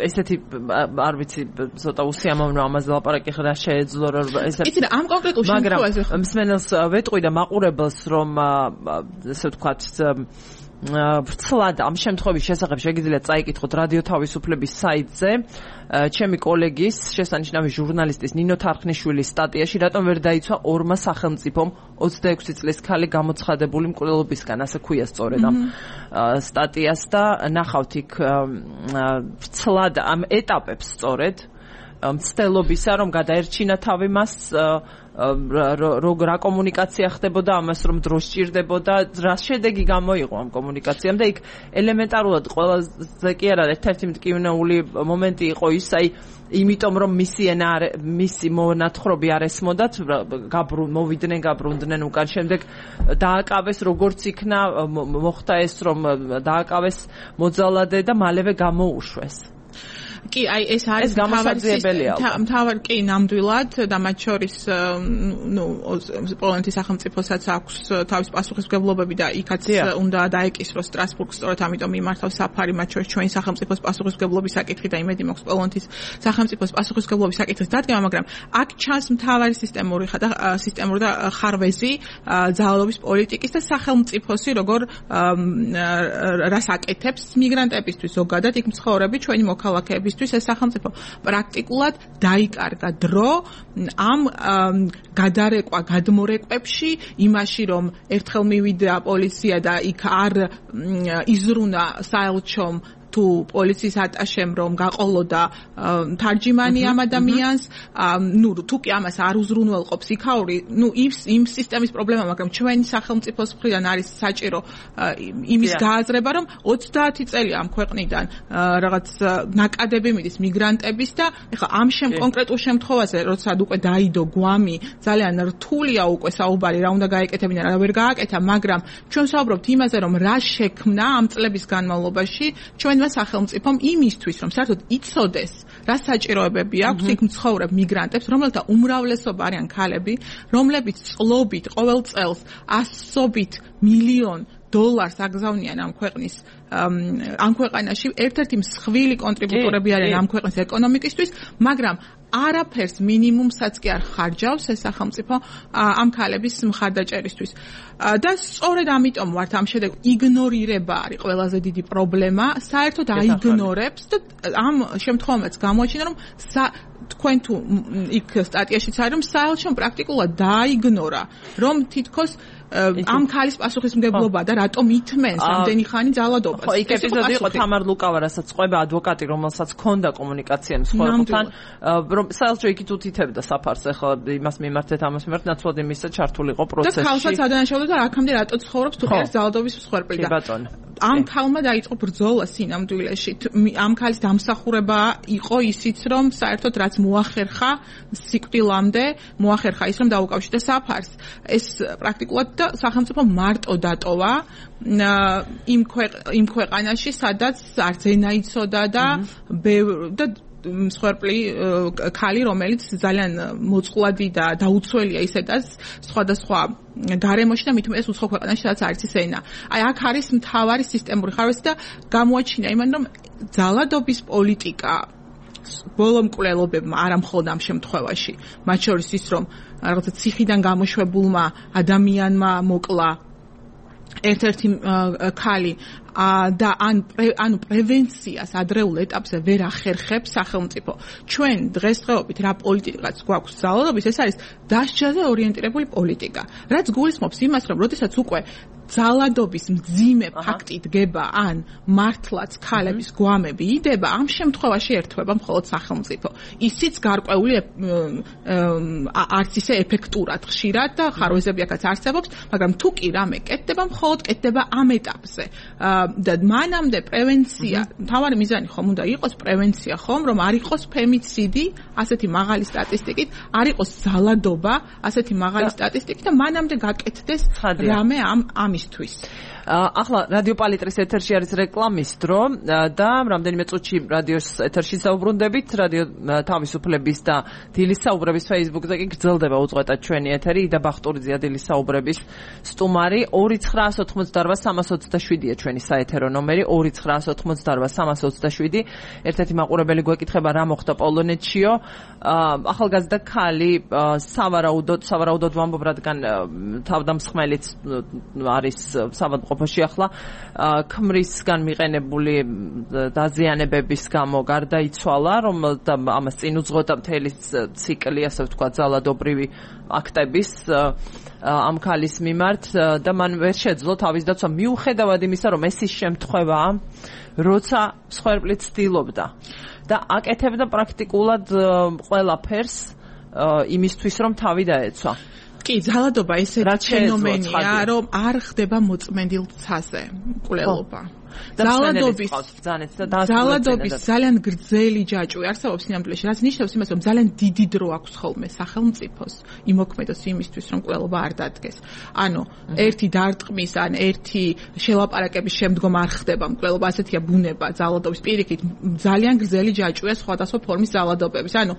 ესეთი არ ვიცი ცოტა უსიამოვნო ამაზე ლაპარაკი რა შეეძლო რომ ესეთი იცი რა ამ კონკრეტულ შემთხვევაში მაგრამ მსმენელს ვეტყვი და მაყურებელს რომ ესე ვთქვათ ვრცლად ამ შემთხვევის შესახებ შეგიძლიათ წაიკითხოთ რადიო თავისუფლების საიტზე ჩემი კოლეგის შესანიშნავი ჟურნალისტის ნინო თარხნიშვილის სტატიაში რატომ ვერ დაიცვა ორმა სახელმწიფომ ოცდაექვსი წლის ქალი გამოცხადებული მკვლელობისგან ასე ქვია სწორედ ამ სტატიას და ნახავთ იქ ვრცლად ამ ეტაპებს სწორედ მცდელობისა რომ გადაერჩინა თავი მას როგორ რა კომუნიკაცია ხდებოდა ამას რომ დრო სჭირდებოდა რა შედეგი გამოიღო ამ კომუნიკაციამ და იქ ელემენტარულად ყველაზე კი არა ერთ-ერთი მტკივნეული მომენტი იყო ის აი იმიტომ რომ მისი ენა მისი მონათხრობი არ ესმოდათ გაბრუ მოვიდნენ გაბრუნდნენ უკან შემდეგ დააკავეს როგორც იქნა მოხდა ეს რომ დააკავეს მოძალადე და მალევე გამოუშვეს კი, აი ეს არის გამოსაძიებელია. მთავარი კი ნამდვილად და მათ შორის ნუ პოლონეთის სახელმწიფოსაც აქვს თავის პასუხისმგებლობები და იქაც უნდა დაეკისროს სტრასბურგს, სწორედ ამიტომ მიმართავს საფარი მათ შორის ჩვენი სახელმწიფოს პასუხისმგებლობის საკითხი და იმედი მაქვს პოლონეთის სახელმწიფოს პასუხისმგებლობის საკითხის დადგენა, მაგრამ აქ ჩანს მთავარი სისტემური და სისტემური და ხარვეზი ძალადობის პოლიტიკის და სახელმწიფოსი როგორ რას აკეთებს მიგრანტებისთვის ზოგადად იქ მცხოვრები ჩვენი მოქალაქეებისთვის ეს სახელმწიფო პრაქტიკულად დაიკარგა დრო ამ გადარეკვა გადმორეკვებში იმაში რომ ერთხელ მივიდა პოლიცია და იქ არ იზრუნა საელჩომ თუ პოლიციის ატაშემ რომ გაყოლოდა თარჯიმანი ამ ადამიანს, ნუ თუ კი ამას არ უზრუნველყოფს იქაური, ნუ იმ სისტემის პრობლემა, მაგრამ ჩვენი სახელმწიფოს მხრიდან არის საჭირო იმის გააზრება, რომ ოცდაათი წელი ამ ქვეყნიდან რაღაც ნაკადები მიდის მიგრანტების და ეხლა ამ შემ კონკრეტულ შემთხვევაზე, როცა უკვე დაიდო გვამი, ძალიან რთულია უკვე საუბარი, რა უნდა გაეკეთებინა, რა ვერ გააკეთა, მაგრამ ჩვენ ვსაუბრობთ იმაზე, რომ რა შექმნა ამ წლების განმავლობაში ჩვენ სახელმწიფომ იმისთვის, რომ საერთოდ იცოდეს, რა საჭიროებები აქვს იქ მცხოვრებ მიგრანტებს, რომელთა უმრავლესობა არიან ქალები, რომლებიც წლობით ყოველ წელს ასობით მილიონ დოლარს აგზავნიან ამ ქვეყნის ამ ქვეყანაში, ერთ-ერთი მსხვილი კონტრიბუტორები არიან ამ ქვეყნის ეკონომიკისთვის, მაგრამ არაფერს მინიმუმსაც კი არ ხარჯავს ეს სახელმწიფო ამ ქალების მხარდაჭერისთვის. და სწორედ ამიტომ ვართ ამ შედეგ იგნორირება არის ყველაზე დიდი პრობლემა, საერთოდ აიგნორებს და ამ შემთხვევაშიც გამოაჩინა რომ თქვენ თუ იქ სტატიაშიც არის რომ საელჩომ პრაქტიკულად დააიგნორა რომ თითქოს ამ ქალის პასუხისმგებლობა და რატომ ითმენს ამდენი ხანი ძალადობას. ხო, იქ ეპიზოდი იყო თამარ ლუკავა, რასაც ყვება ადვოკატი, რომელსაც ჰქონდა კომუნიკაცია მსხვერპლთან, რომ საელჩო იქით უთითებდა საფარს, ახლა იმას მიმართეთ, ამას მიმართ, ნაცვლად იმისა ჩართული იყო პროცესში. და ქალსაც ადანაშაულდა და აქამდე რატო ცხოვრობს თუ არის ძალადობის მსხვერპლი და ამ ქალმა დაიწყო ბრძოლა სინამდვილეში. ამ ქალის დამსახურება იყო ისიც, რომ საერთოდ რაც მოახერხა სიკვდილამდე, მოახერხა ის, რომ დაუკავშირდა საფარს. ეს პრაქტიკულად და სახელმწიფო მარტო დატოვა იმ იმ ქვეყანაში, სადაც არც ენა იცოდა და და მსხვერპლი ქალი, რომელიც ძალიან მოწყვლადი და დაუცველია ისედაც სხვადასხვა გარემოში და მithume ეს უცხო ქვეყანაში, სადაც არის ის ენა. აი აქ არის მთავარი სისტემური ხარვეზი და გამოაჩინა იმან, რომ ძალადობის პოლიტიკა ბოლო მკვლელობებმა არა მხოლოდ ამ შემთხვევაში, მათ შორის ის, რომ რაღაცა ციხიდან გამოშვებულმა ადამიანმა მოკლა ერთ-ერთი ქალი და ანუ პრევენციას ადრეულ ეტაპზე ვერ ახერხებს სახელმწიფო. ჩვენ დღესდღეობით რა პოლიტიკაც გვაქვს ძალადობის, ეს არის დასჯაზე ორიენტირებული პოლიტიკა. რაც გულისხმობს იმას, რომ როდესაც უკვე ძალადობის მძიმე ფაქტი დგება ან მართლაც ქალების გვამები იდება, ამ შემთხვევაში ერთვება მხოლოდ სახელმწიფო. ისიც გარკვეული არც ისე ეფექტურად ხშირად და ხარვეზები აქაც არსებობს, მაგრამ თუ კი რამე კეთდება, მხოლოდ კეთდება ამ ეტაპზე. და მანამდე პრევენცია, მთავარი მიზანი ხომ უნდა იყოს პრევენცია ხომ, რომ არ იყოს ფემიციდი, ასეთი მაღალი სტატისტიკით, არ იყოს ძალადობა, ასეთი მაღალი სტატისტიკით და მანამდე გაკეთდეს რამე ამ ამისთვის. ახლა რადიო პალიტრის ეთერში არის რეკლამის დრო და რამდენიმე წუთში რადიოს ეთერში საუბრუნდებით, რადიო თავისუფლების და დილის საუბრების Facebook-ზე კი გრძელდება უწყვეტად ჩვენი ეთერი, იდა ბახტურიძე დილის საუბრების სტუმარი. ორი ცხრაას ოთხმოცდაოთხ სამას ოცდაშვიდია ჩვენი საეთერო ნომერი, ორი ცხრაას ოთხმოცდაოთხ სამას ოცდაშვიდი. ერთ-ერთი მაყურებელი გვეკითხება რა მოხდა პოლონეთშიო. ახალგაზრდა ქალი სავარაუდოდ, სავარაუდოდ ვამბობ, რადგან თავდამსხმელიც არის საავადმყოფოში ახლა, ქმრისგან მიყენებული დაზიანებების გამო გარდაიცვალა, რომ ამას წინ უძღოდა მთელი ციკლი, ასე ვთქვათ, ძალადობრივი აქტების ამ ქალის მიმართ და მან ვერ შეძლო თავის დაცვა, მიუხედავად იმისა, რომ ეს ის შემთხვევაა, როცა მსხვერპლი ცდილობდა და აკეთებდა პრაქტიკულად ყველაფერს იმისთვის, რომ თავი დაეცვა. კი, ძალადობა ესეთი ფენომენია, რომ არ ხდება მოწმენდილ ცაზე მკვლელობა. ძალადობის ბრძანეთ და ძალადობის ძალიან გრძელი ჯაჭვი არსებობს სინამდვილეში, რაც ნიშნავს იმას, რომ ძალიან დიდი დრო აქვს ხოლმე სახელმწიფოს იმოქმედოს იმისთვის, რომ ყველობა არ დადგეს. ანუ ერთი დარტყმის ან ერთი შელაპარაკების შემდგომ არ ხდება მკვლელობა, ასეთია ბუნება ძალადობის პირიქით, ძალიან გრძელი ჯაჭვია სხვადასხვა ფორმის ძალადობების. ანუ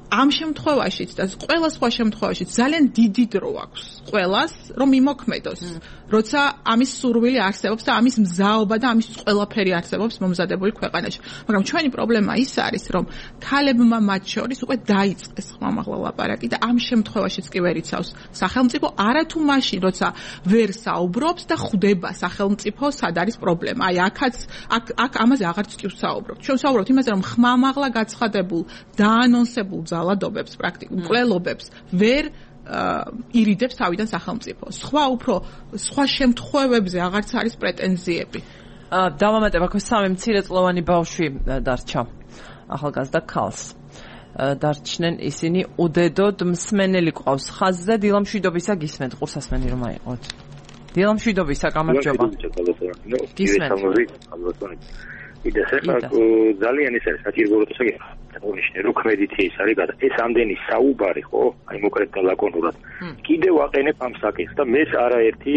ამ შემთხვევაშიც და ყველა სხვა შემთხვევაშიც ძალიან დიდი დრო აქვს ყველას, რომ იმოქმედოს, როცა ამის სურვილი არსებობს და ამის მზაობა და ამის ყველაფერი არსებობს მომზადებული ქვეყანაში. მაგრამ ჩვენი პრობლემა ის არის, რომ ქალებმა მათ შორის უკვე დაიწყეს ხმამაღლა ლაპარაკი და ამ შემთხვევაშიც კი ვერ იცავს სახელმწიფო, არათუ მაშინ, როცა ვერ საუბრობს და ხვდება სახელმწიფო სად არის პრობლემა. აი აქაც აქ აქ ამაზე აღარც კი ვსაუბრობთ. ჩვენ ვსაუბრობთ იმაზე, რომ ხმამაღლა გაცხადებულ და ანონსებულ ძალადობებს, პრაქტიკულ მკვლელობებს ვერ ირიდებს თავიდან სახელმწიფო. სხვა უფრო სხვა შემთხვევებზე აღარც არის პრეტენზიები. დავამატებ, აქ სამი მცირეწლოვანი ბავშვი დარჩა ახალგაზრდა ქალს. დარჩნენ ისინი უდედოდ მსმენელი ყავს ხაზზე. დილამშვიდობისა გისმენთ, ყურსასმენი რომ აიყოთ. დილამშვიდობისა, გამარჯობა. გისმენთ. იდა ხება ძალიან ის არის საჭიროებათა აღნიშნე რო კრედიტი ის არის გადა ეს ამდენი საუბარი ხო აი მოკრედ და ლაკონურად კიდევ აყენებ ამ საკითხს და მე არაერთი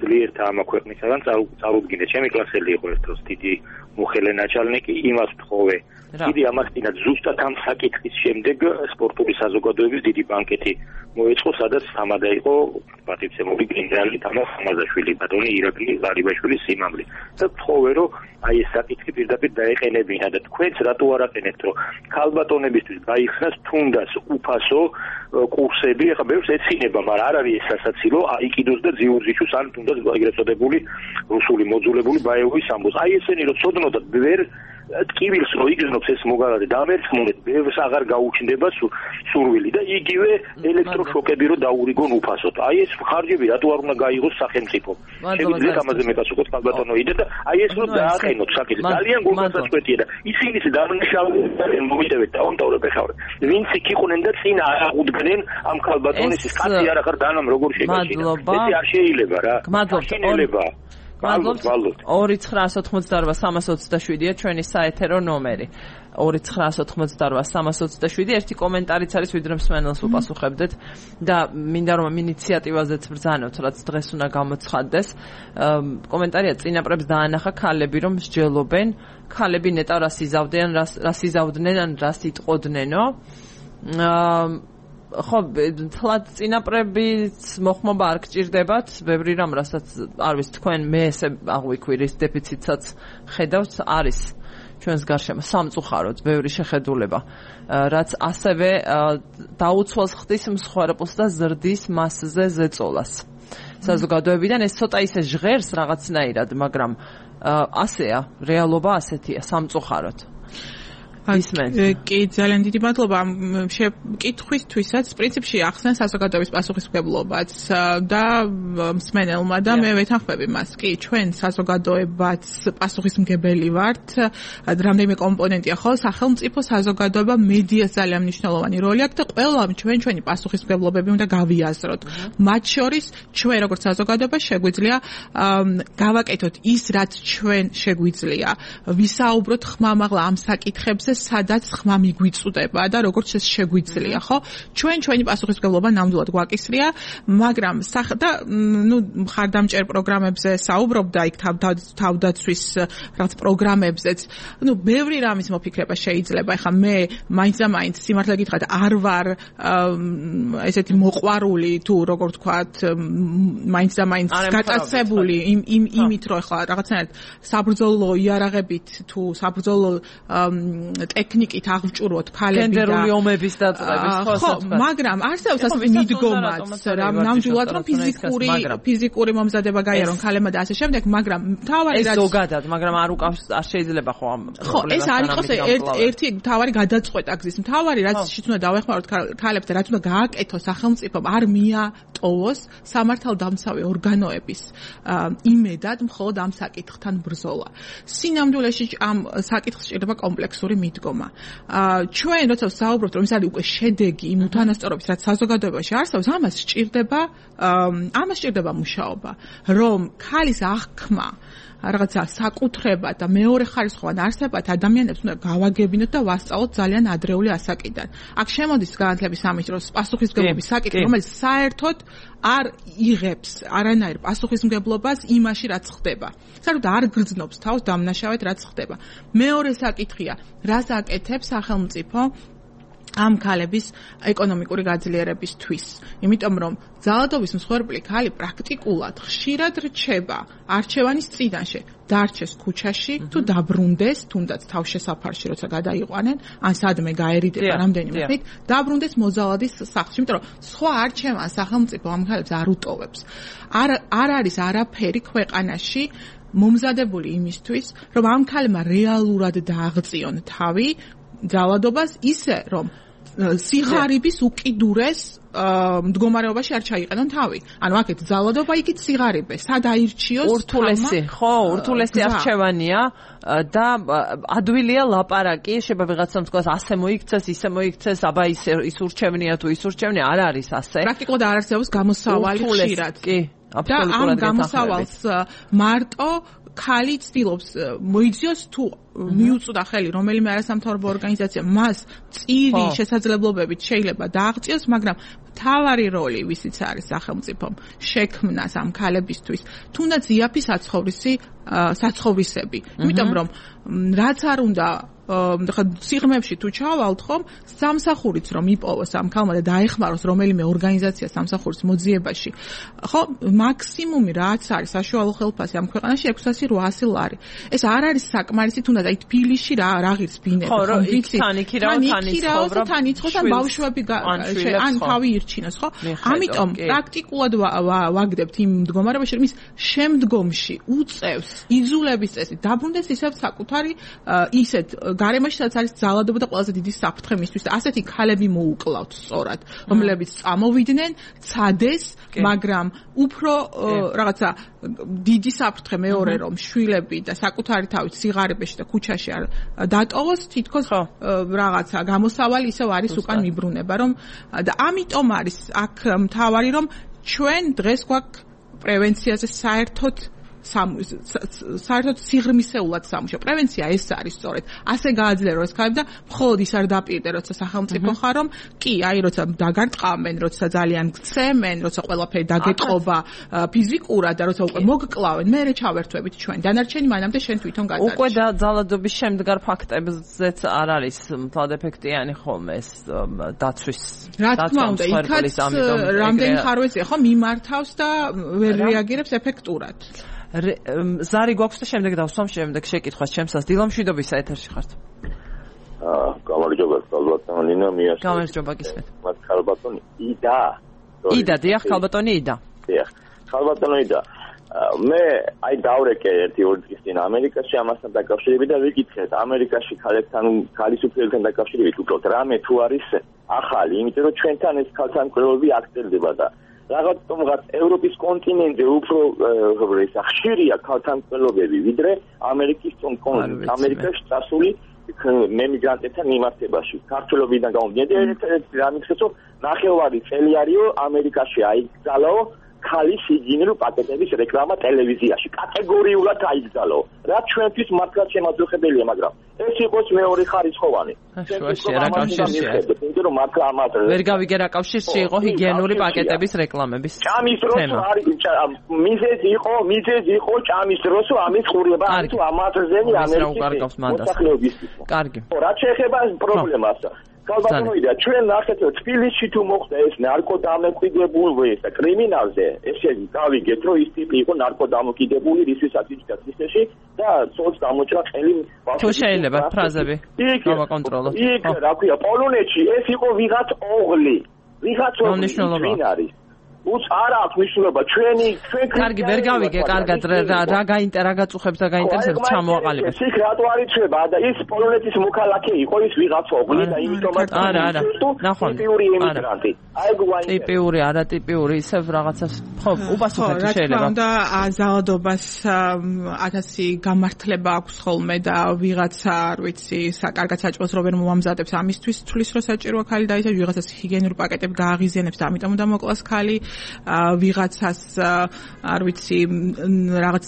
ძლიერთა ამ ქვეყნისაგან წარუდგინე ჩემი კლასელი იყო ერთ დროს დიდი მუხელე ნაჩალნიკი იმას ვთხოვე დიდი ამასთანაც ზუსტად ამ საკითხის შემდეგ სპორტული საზოგადოების დიდი ბანკეტი მოეწყო სადაც თამადა იყო პატივცემული გენერალი თამარ ხამაზაშვილი ბატონი ირაკლი ღარიბაშვილის სიმამლე და ვთხოვე რომ აი ეს საკითხი პირდაპირ დაეყენებინა და თქვენც რატო არ აყენებთ რომ ქალბატონებისთვის გაიხსნას თუნდაც უფასო კურსები ახლა ბევრს ეცინება მაგრამ არ არის ეს სასაცილო აიკიდოს და ძიურძიჩუს ან თუნდაც ეგრეთ წოდებული რუსული მოძულებული ბაევოვის ამბოს აი ესენი რომ ცოდნოდათ ვერ ტკივილს რო იგრძნობს ეს მოგალადე დამერცხმულეთ ბევრს აღარ გაუჩნდება სურვილი და იგივე ელექტროშოკები რო დაურიგონ უფასოდ აი ეს ხარჯები რატო არ უნდა გაიღოს სახელმწიფო შეგვიძლია ამაზე მეკასუქოთ ქალბატონო იდა და აი ეს რო დააყენოთ საკითხი ძალიან გულგასაწყვეტია და ისინიც დამნაშავებენ მომიტევეთ დაუნტავრებ ეხავენ ვინც იქ იყვნენ და წინ არ აღუდგნენ ამ ქალბატონის კაცი არ ახარ დანამ როგორ შეგაშინა ეს არ შეიძლება რა მადლობა მადლობთ ორი ცხრაასი ოცდაოთხმოცდაორვა სამას ოცდაშვიდია ჩვენი საეთერო ნომერი ორი ცხრაასი ოცდაოთხმოცდაორვა სამას ოცდაშვიდი ერთი კომენტარიც არის ვიდრე მსმენელს უპასუხებდეთ და მინდა რომ ამ ინიციატივაზეც ბრძანოთ რაც დღეს უნდა გამოცხადდეს კომენტარია წინაპრებს დაანახა ქალები რომ მსჯელობენ ქალები ნეტა რას იზავდნენ რას იზავდნენ ან რას იტყოდნენო ხო თლად წინაპრების მოხმობა არ გჭირდებათ ბევრი რამ რასაც არ ვიცი თქვენ მე ესე აღვიქვი რის დეფიციტსაც ხედავთ არის ჩვენს გარშემო სამწუხაროდ ბევრი შეხედულება რაც ასევე დაუცველს ხდის მსხვერპლს და ზრდის მასზე ზეწოლას საზოგადოებიდან ეს ცოტა ისე ჟღერს რაღაცნაირად მაგრამ ასეა რეალობა ასეთია სამწუხაროდ კი ძალიან დიდი მადლობა ამ კითხვისთვისაც პრინციპში ახსნა საზოგადოების პასუხისმგებლობაც და მსმენელმა და მე ვეთანხმები მას კი ჩვენ საზოგადოებაც პასუხისმგებელი ვართ რამდენიმე კომპონენტია ხო სახელმწიფო საზოგადოება მედიას ძალიან მნიშვნელოვანი როლი აქვს და ყველამ ჩვენ ჩვენი პასუხისმგებლობები უნდა გავიაზროთ მათ შორის ჩვენ როგორც საზოგადოება შეგვიძლია გავაკეთოთ ის რაც ჩვენ შეგვიძლია ვისაუბროთ ხმამაღლა ამ საკითხებზე სადაც ხმა მიგვიწუდება და როგორც ეს შეგვიძლია, ხო? ჩვენ ჩვენი პასუხისმგებლობა ნამდვილად გვაკისრია, მაგრამ და ნუ მხარდამჭერ პროგრამებზე საუბრობდა იქ თავდაცვის რაც პროგრამებზეც, ნუ ბევრი რამის მოფიქრება შეიძლება. ეხლა მე მაინც და მაინც სიმართლე გითხრათ, არ ვარ ესეთი მოყვარული თუ როგორ ვთქვათ, მაინც და მაინც გატაცებული იმ იმ იმით რომ ეხლა რაღაცნაირად საბრძოლო იარაღებით თუ საბრძოლო ტექნიკით აღჭურვოთ ქალები და გენდერული ომების დაწყების ხო, მაგრამ არსებობს ასეთი მიდგომაც, რა ნამდვილად რომ ფიზიკური ფიზიკური მომზადება გაიარონ ქალებმა და ასე შემდეგ, მაგრამ თავარი რაც ეს ზოგადად, მაგრამ არ უკავს არ შეიძლება ხო ამ ხო, ეს არ იყოს ერთი თავარი გადაწყვეტა გზის. თავარი რაც შიც უნდა დავეხმაროთ ქალებს და რაც უნდა გააკეთოს სახელმწიფომ, არ მიატოვოს სამართალდამცავი ორგანოების იმედად მხოლოდ ამ საკითხთან ბრძოლა. სინამდვილეში ამ საკითხს სჭირდება კომპლექსური მიდგომა. ჩვენ როცა ვსაუბრობთ რომ ეს არის უკვე შედეგი იმ უთანასწორობის რაც საზოგადოებაში არსებობს ამას სჭირდება ამას სჭირდება მუშაობა რომ ქალის აღქმა რაღაცა საკუთრება და მეორე ხარისხოვან არსებად ადამიანებს უნდა გავაგებინოთ და ვასწავლოთ ძალიან ადრეული ასაკიდან. აქ შემოდის განათლების სამინისტროს პასუხისმგებლობის საკითხი, რომელიც საერთოდ არ იღებს არანაირ პასუხისმგებლობას იმაში, რაც ხდება. საერთოდ არ გრძნობს თავს დამნაშავედ, რაც ხდება. მეორე საკითხია, რას აკეთებს სახელმწიფო ამ ქალების ეკონომიკური გაძლიერებისთვის. იმიტომ რომ ძალადობის მსხვერპლი ქალი პრაქტიკულად ხშირად რჩება არჩევანის წინაშე, დარჩეს ქუჩაში თუ დაბრუნდეს, თუნდაც თავშესაფარში როცა გადაიყვანენ, ან სადმე გაერიდება რამდენიმე ხნით, დაბრუნდეს მოძალადის სახლში, იმიტომ რომ სხვა არჩევანს სახელმწიფო ამ ქალებს არ უტოვებს. არ არ არის არაფერი ქვეყანაში მომზადებული იმისთვის, რომ ამ ქალმა რეალურად დააღწიონ თავი ძალადობას ისე, რომ სიღარიბის უკიდურეს მდგომარეობაში არ ჩაიყენონ თავი. ანუ აქეთ ძალადობა იქით სიღარიბე, სად აირჩიოს ურთულესი, ხო, ურთულესი არჩევანია და ადვილია ლაპარაკი, შეიძლება ვიღაცამ თქვას ასე მოიქცეს, ისე მოიქცეს, აბა ის ის ურჩევნია თუ ის ურჩევნია, არ არის ასე. პრაქტიკულად არ არსებობს გამოსავალი ხშირად. კი, აბსოლუტურად. და ამ გამოსავალს მარტო ქალი ცდილობს მოიძიოს თუ მიუწვდა ხელი რომელიმე არასამთავრობო ორგანიზაცია მას წირი შესაძლებლობებით შეიძლება დააღწიოს, მაგრამ მთავარი როლი ვისიც არის სახელმწიფომ შექმნას ამ ქალებისთვის, თუნდაც იაფი საცხოვრისი საცხოვრისები. იმიტომ რომ რაც არ უნდა ხა სიღრმეებში თუ ჩავალთ ხომ, სამსახურიც რომ იპოვოს ამ ქალმა და დაეხმაროს რომელიმე ორგანიზაცია სამსახურის მოძიებაში, ხო, მაქსიმუმი რაც არის საშუალო ხელფასი ამ ქვეყანაში ექვსასი რვაასი ლარი. ეს არ არის საკმარისი, თუნდაც აი თბილისში რა რაღიც ბინები, ხო, ვიცი, თან იქირაო, თან იცხოვრა, თან იცხოვს ან ბავშვები ან თავი ირჩინოს, ხო? ამიტომ პრაქტიკულად ვაგდებთ იმ მდგომარეობაში, რომ ის შემდგომში უწევს იძულების წესით დაბრუნდეს ისევ საკუთარი ისეთ გარემოში, სადაც არის ძალადობა და ყველაზე დიდი საფრთხე მისთვის და ასეთი ქალები მოუკლავთ სწორად, რომლებიც წამოვიდნენ, ცადეს, მაგრამ უფრო რაღაცა დიდი საფრთხე მეორე რომ შვილები და საკუთარი თავით სიღარიბეში და ქუჩაში არ დატოვოს, თითქოს რაღაცა გამოსავალი ისევ არის უკან მიბრუნება, რომ და ამიტომ არის აქ მთავარი რომ ჩვენ დღეს გვაქვს პრევენციაზე საერთოდ საერთოდ სიღრმისეულად სამუშაო. პრევენცია ეს არის სწორედ. ასე გააძლიერო ეს ქალები და მხოლოდ ის არ დაპირდე, როცა სახელმწიფო ხარ, რომ კი, აი, როცა დაგარტყამენ, როცა ძალიან გცემენ, როცა ყველაფერი დაგეტყობა ფიზიკურად და როცა უკვე მოგკლავენ, მერე ჩავერთვებით ჩვენ. დანარჩენი მანამდე შენ თვითონ გადარჩენ. უკვე ძალადობის შემდგარ ფაქტებზეც არ არის მთლად ეფექტიანი ხოლმე ეს დაცვის. რა თქმა უნდა, იქაც რამდენი ხარვეზია, ხო, მიმართავს და ვერ რეაგირებს ეფექტურად. ზარი გვაქვს და შემდეგ დავსვამ შემდეგ შეკითხვას ჩემსას. დილამშვიდობისა ეთერში ხართ. აა, გამარჯობა, ქალბატონი ნინა მიაშ. გამარჯობა გისმენთ. მათ ქალბატონი იდა. იდა, დიახ, ქალბატონი იდა. დიახ. ქალბატონი იდა. მე აი დავრეკე ერთი ორი დღის წინ ამერიკაში ამასთან დაკავშირებით და ვიკითხეთ ამერიკაში ქალებთან ქალისუფლებთან დაკავშირებით უბრალოდ რამე თუ არის ახალი, იმიტომ რომ ჩვენთან ეს ქალთანკვლევები აქცენტდება და რაღაც თუმღაც ევროპის კონტინენტზე უფრო ხშირია ქალთანკვლევები ვიდრე ამერიკის ამერიკაში წასული მემიგრანტებთან მიმართებაში. ქართველობიდან გამომდინარე, ერთ-ერთი რამიქცეო ნახევარი წელი არისო ამერიკაში აიგზალაო ქალის ჰიგიენური პაკეტების რეკლამა ტელევიზიაში. კატეგორიულად აიგზალაო. რაც ჩვენთვის მართლაც შემაძლებელია, მაგრამ ეს იყოს მეორე ხარისხოვანი. შუაში რა კავშირია? იმიტომ რომ მართლა ამათ ვერ გავიგე რა კავშირში იყო ჰიგიენური პაკეტების რეკლამების. ჭამის დროს არის მიზეზი იყო, მიზეზი იყო ჭამის დროს ამის ყურება არის თუ ამათზენი ამერიკის მოსახლეობისთვის. კარგი. რა შეეხება პრობლემას? ქალბატონოიდა, ჩვენ ნახეთ რომ თბილისში თუ მოხდა ეს ნარკოდამოკიდებული და კრიმინალზე, ესე გავიგეთ რომ ის ტიპი იყო ნარკოდამოკიდებული რისვისაც იჭდა თბილისში და ცოლს გამოჭრა ხელი ბავშვი. თუ შეიძლება ფრაზები გავაკონტროლოთ. იქ რა ქვია, პოლონეთში ეს იყო ვიღაც ოღლი. ვიღაც ოღლი ვინ არის? უც არ აქვს მნიშვნელობა ჩვენი ჩვენ კარგი ვერ გავიგე კარგად რა რა გაინტერესებს რა გაწუხებს და გაინტერესებს ჩამოაყალიბეთ. ის რატო არ იცვება და ის პოლონეთის მოქალაქე იყო ის ვიღაც ოღლი და იმიტომაც არა არა ნახონ ტიპიური ემიგრანტი. აი გვაინტერესებს. ტიპიური არა ტიპიური ისევ რაღაცას ხო უპასუხეთ შეიძლება. რა თქმა უნდა ზალადობას ათასი გამართლება აქვს ხოლმე და ვიღაცა არ ვიცი საკარგად საჭმელს რო ვერ მომამზადებს ამისთვის თulis რო საჭიროა ქალი და ისე ვიღაცას ჰიგიენური პაკეტები გააღიზიანებს და ამიტომ უნდა მოკლას ქალი ვიღაცას არ ვიცი რაღაც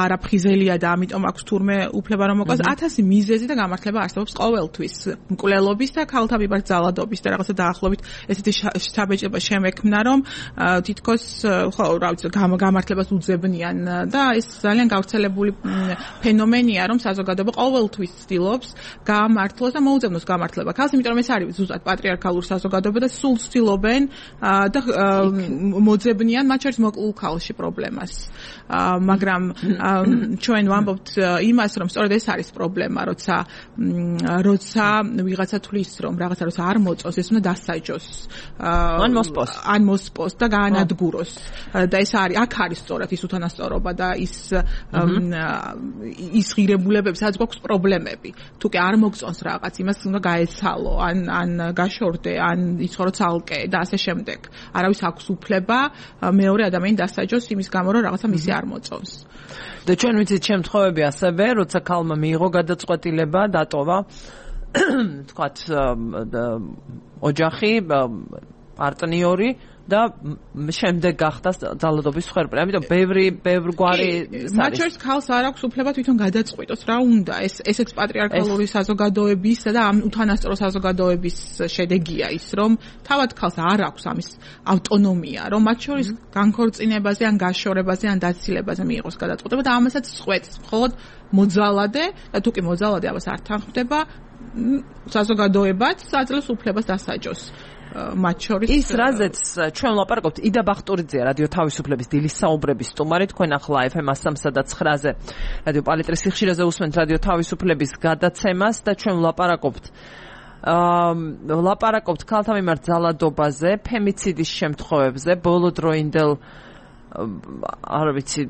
არაფხიზელია და ამიტომ აქვს თურმე უფლება რომ მოყვას ათასი მიზეზი და გამართლება არსებობს ყოველთვის მკვლელობის და ქალთა მიმართ ძალადობის და რაღაცა დაახლოებით ესეთი შთაბეჭდება შემექმნა რომ თითქოს ხო რა ვიცი გამართლებას უძებნიან და ეს ძალიან გავრცელებული ფენომენია რომ საზოგადოება ყოველთვის ცდილობს გამართლოს და მოუძებნოს გამართლება ქალს იმიტომ რომ ეს არის ზუსტად პატრიარქალური საზოგადოება და სულ ცდილობენ და მოძებნიან მათ შორის მოკლულ ქალში პრობლემას მაგრამ ჩვენ ვამბობთ იმას რომ სწორედ ეს არის პრობლემა როცა როცა ვიღაცა თulis რომ რაღაცა როცა არ მოწონს ეს უნდა დასაჯოს ან მოსპოს ან მოსპოს და გაანადგუროს და ეს არის აქ არის სწორად ის უთანასწორობა და ის ის ღირებულებები სადაც გვაქვს პრობლემები თუ კი არ მოგწონს რაღაც იმას უნდა გაეცალო ან ან გაშორდე ან იცხოვრო ცალკე და ასე შემდეგ არავის აქვს უფლება მეორე ადამიანი დასაჯოს იმის გამო რომ რაღაცა მისი არ მოწონს და ჩვენ ვიცით შემთხვევები ასევე როცა ქალმა მიიღო გადაწყვეტილება დატოვა თქვათ ოჯახი პარტნიორი და შემდეგ გახდა ძალადობის მსხვერპლი. ამიტომ ბევრი ბევრ გვარი მათ შორის ქალს არ აქვს უფლება თვითონ გადაწყვიტოს რა უნდა. ეს ესეც პატრიარქალური საზოგადოების და ამ უთანასწორო საზოგადოების შედეგია ის, რომ თავად ქალს არ აქვს ამის ავტონომია, რომ მათ შორის განქორწინებაზე ან გაშორებაზე ან დაცილებაზე მიიღოს გადაწყვეტილება და ამასაც წყვეტს მხოლოდ მოძალადე და თუ კი მოძალადე ამას არ თანხმდება საზოგადოებაც აძლევს უფლებას დასაჯოს. მათ შორის ის რაზეც ჩვენ ვლაპარაკობთ იდა ბახტურიძეა რადიო თავისუფლების დილის საუბრების სტუმარი თქვენ ახლა ეფ ემ სამსა და ცხრაზე რადიო პალიტრის სიხშირეზე უსმენთ რადიო თავისუფლების გადაცემას და ჩვენ ვლაპარაკობთ აა ვლაპარაკობთ ქალთა მიმართ ძალადობაზე ფემიციდის შემთხვევებზე ბოლოდროინდელ არ ვიცი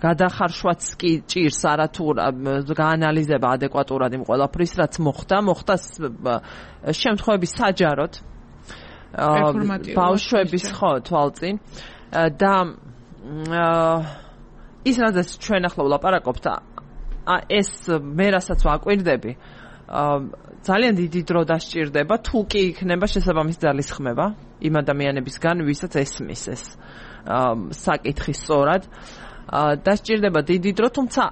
გადახარშვაც კი ჭირს არათუ გაანალიზება ადეკვატურად იმ ყველაფრის რაც მოხდა მოხდა შემთხვევები საჯაროდ ბავშვების ხო თვალწინ და ის რაზეც ჩვენ ახლა ვლაპარაკობთ ეს მე რასაც ვაკვირდები ძალიან დიდი დრო დასჭირდება თუ კი იქნება შესაბამის ძალისხმევა იმ ადამიანებისგან ვისაც ესმის ეს საკითხი სწორად დასჭირდება დიდი დრო თუმცა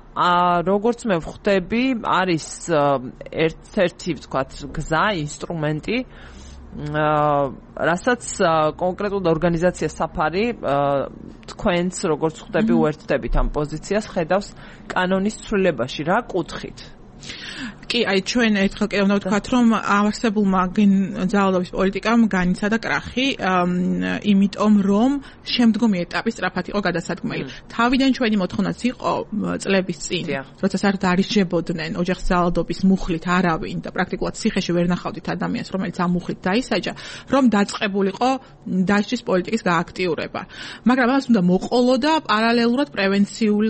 როგორც მე ვხვდები არის ერთ-ერთი ვთქვათ გზა ინსტრუმენტი რასაც კონკრეტულ ორგანიზაციას საფარი თქვენც როგორც ხვდები უერთდებით ამ პოზიციას ხედავს კანონის ცვლილებაში რა კუთხით კი, აი ჩვენ ერთხელ კიდევ უნდა ვთქვათ, რომ არსებულმა ძალადობის პოლიტიკამ განიცადა კრახი, იმიტომ რომ შემდგომი ეტაპი სწრაფად იყო გადასადგმელი. თავიდან ჩვენი მოთხოვნაც იყო წლების წინ, როცა საერთოდ არ ისჯებოდნენ ოჯახის ძალადობის მუხლით არავინ და პრაქტიკულად ციხეში ვერ ნახავდით ადამიანს, რომელიც ამ მუხლით დაისაჯა, რომ დაწყებულიყო დასჯის პოლიტიკის გააქტიურება. მაგრამ ამას უნდა მოყოლო და პარალელურად პრევენციულ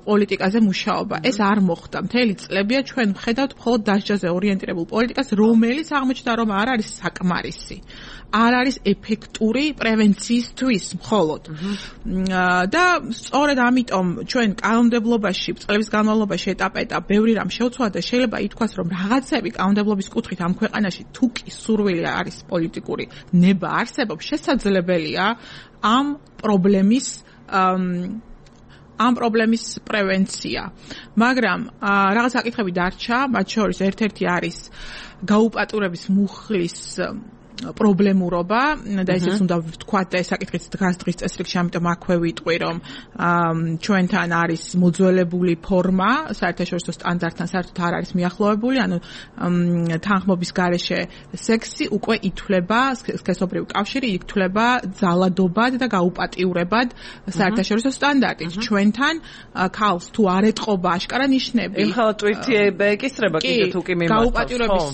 პოლიტიკაზე მუშაობა. ეს არ მოხდა. მთელი წლებია ჩვენ ვხედავთ მხოლოდ დასჯაზე ორიენტირებულ პოლიტიკას, რომელიც აღმოჩნდა, რომ არ არის საკმარისი. არ არის ეფექტური პრევენციისთვის მხოლოდ. და სწორედ ამიტომ ჩვენ კანონმდებლობაში, წლების განმავლობაში ეტაპ-ეტაპ ბევრი რამ შევცვალა და შეიძლება ითქვას, რომ რაღაცები კანონმდებლობის კუთხით ამ ქვეყანაში თუ კი სურვილი არის პოლიტიკური ნება არსებობს, შესაძლებელია ამ პრობლემის ამ პრობლემის პრევენცია. მაგრამ რაღაც საკითხები დარჩა, მათ შორის ერთ-ერთი არის გაუპატურების მუხლის პრობლემურობა და ესეც უნდა ვთქვათ და ეს საკითხიც დგას დღის წესრიგში, ამიტომ აქვე ვიტყვი, რომ ჩვენთან არის მოძველებული ფორმა, საერთაშორისო სტანდარტთან საერთოდ არ არის მიახლოვებული, ანუ თანხმობის გარეშე სექსი უკვე ითვლება, სქესობრივი კავშირი ითვლება ძალადობად და გაუპატიურებად საერთაშორისო სტანდარტით. ჩვენთან ქალს თუ არ ეტყობა აშკარა ნიშნები. ეხლა ტვირთი ეკისრება კიდე თუ კი მიმართავს. გაუპატიურების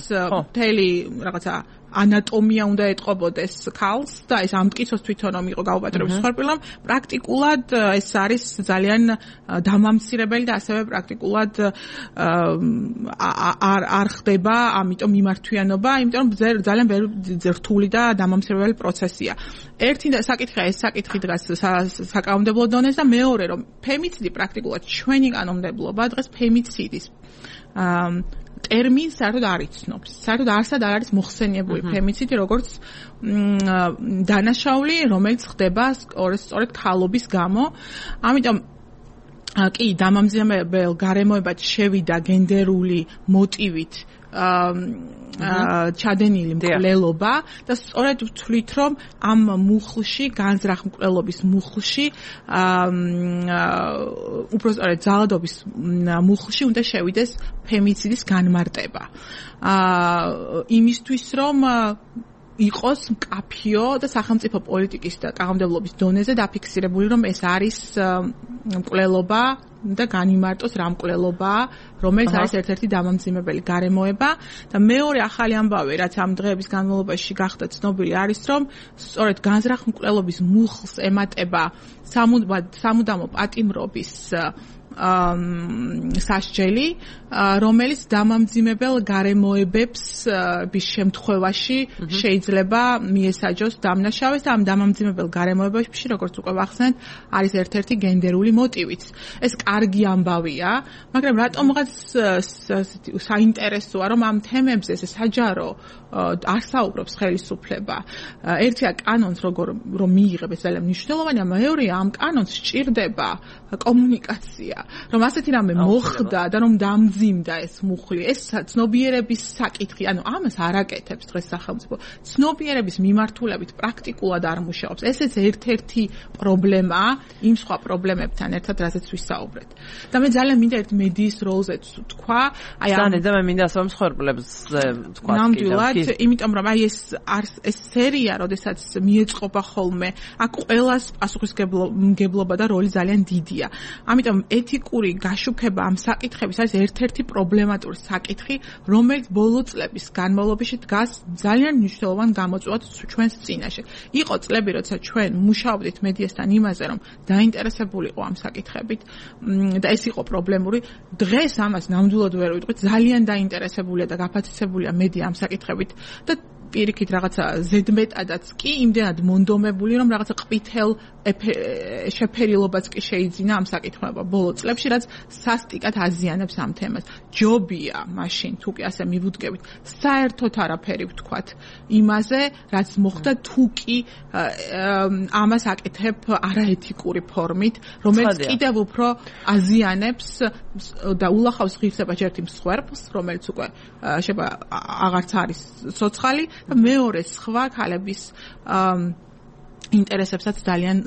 მთელი რაღაცა ანატომია უნდა ეტყობოდეს ქალს და ეს ამტკიცოს თვითონ რომ იყო გაუპატიურების მსხვერპლი, პრაქტიკულად ეს არის ძალიან დამამცირებელი და ასევე პრაქტიკულად არ არ ხდება ამიტომ მიმართვიანობა, იმიტომ რომ ძალიან რთული და დამამცირებელი პროცესია. ერთი საკითხია ეს საკითხი დგას საკანონმდებლო დონეზე და მეორე რომ ფემიციდი პრაქტიკულად ჩვენი კანონმდებლობა დღეს ფემიციდის ტერმინს საერთოდ არ იცნობს. საერთოდ არსად არ არის მოხსენიებული ფემიციდი, როგორც დანაშაული, რომელიც ხდება სწორედ ქალობის გამო. ამიტომ კი, დამამძიმებელ გარემოებად შევიდა გენდერული მოტივით ჩადენილი მკვლელობა და სწორედ ვთვლით, რომ ამ მუხლში, განზრახ მკვლელობის მუხლში, უფრო სწორედ ძალადობის მუხლში უნდა შევიდეს ფემიციდის განმარტება. იმისთვის, რომ იყოს მკაფიო და სახელმწიფო პოლიტიკის და კანონმდებლობის დონეზე დაფიქსირებული, რომ ეს არის მკვლელობა და განიმარტოს რა მკვლელობაა, რომელიც არის ერთ-ერთი დამამძიმებელი გარემოება და მეორე ახალი ამბავი, რაც ამ დღეების განმავლობაში გახდა ცნობილი, არის, რომ სწორედ განზრახ მკვლელობის მუხლს ემატება სამუდამო პატიმრობის სასჯელი, რომელიც დამამძიმებელ გარემოებებს bis შემთხვევაში შეიძლება მიესაჯოს დამნაშავეს და ამ დამამძიმებელ გარემოებებში, როგორც უკვე ვახსენეთ, არის ერთ-ერთი გენდერული მოტივიც. ეს კარგი ამბავია, მაგრამ რატომღაც საინტერესოა, რომ ამ თემებზე ეს საჯარო არ საუბრობს ხელისუფლება. ერთია კანონს როგორ რომ მიიღებს ძალიან მნიშვნელოვანია, მეორეა ამ კანონს სჭირდება კომუნიკაცია. რომ ასეთი რამე მოხდა და რომ დამძიმდა ეს მუხლი, ეს ცნობიერების საკითხი, ანუ ამას არ აკეთებს დღეს სახელმწიფო. ცნობიერების მიმართულებით პრაქტიკულად არ მუშაობს. ესეც ერთ-ერთი პრობლემაა იმ სხვა პრობლემებთან ერთად, რასაც ვისაუბრეთ. და მე ძალიან მინდა ერთ მედიის როლზეც ვთქვა, აი ამ და მე მინდა სხვა მსხვერპლებს ვთქვა. ნამდვილად, იმიტომ რომ აი ეს ეს სერია, როდესაც მიეწყობა ხოლმე, აქ ყველას პასუხისმგებლობა და როლი ძალიან დიდია. ამიტომ ეთიკური გაშუქება ამ საკითხების არის ერთ-ერთი პრობლემატური საკითხი, რომელიც ბოლო წლების განმავლობაში დგას ძალიან მნიშვნელოვან გამოწვევად ჩვენს წინაშე. იყო წლები, როცა ჩვენ მუშაობდით მედიასთან იმაზე, რომ დაინტერესებულიყო ამ საკითხებით და ეს იყო პრობლემური. დღეს ამას ნამდვილად ვერ ვიტყვით, ძალიან დაინტერესებულია და გაფათიცებულია მედია ამ საკითხებით და პირიქით რაღაცა ზედმეტადაც კი იმდენად მონდომებული, რომ რაღაცა ყვითელ შეფერილობაც კი შეიძინა ამ საკითხებმა ბოლო წლებში, რაც სასტიკად აზიანებს ამ თემას. ჯობია მაშინ, თუ კი ასე მივუდგებით, საერთოდ არაფერი ვთქვათ იმაზე, რაც მოხდა, თუ კი ამას აკეთებ არაეთიკური ფორმით, რომელიც კიდევ უფრო აზიანებს და ულახავს ღირსებას ერთი მსხვერპლს, რომელიც უკვე შეიძლება აღარც არის ცოცხალი და მეორე სხვა ქალების ინტერესებსაც ძალიან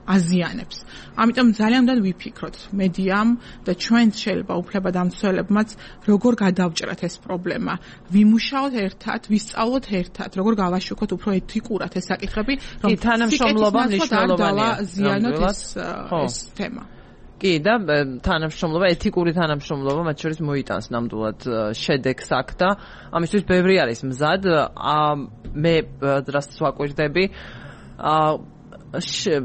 აზიანებს. ამიტომ ძალიან უნდა ვიფიქროთ მედიამ და ჩვენც შეიძლება უფლებადამცველებმაც როგორ გადავჭრათ ეს პრობლემა. ვიმუშაოთ ერთად, ვისწავლოთ ერთად, როგორ გავაშუქოთ უფრო ეთიკურად ეს საკითხები, რომ თანამშრომლობა მნიშვნელოვანია. ზიანოთ ეს ეს თემა. კი და თანამშრომლობა, ეთიკური თანამშრომლობა მათ შორის მოიტანს ნამდვილად შედეგს აქ და ამისთვის ბევრი არის მზად. მე რასაც ვაკვირდები,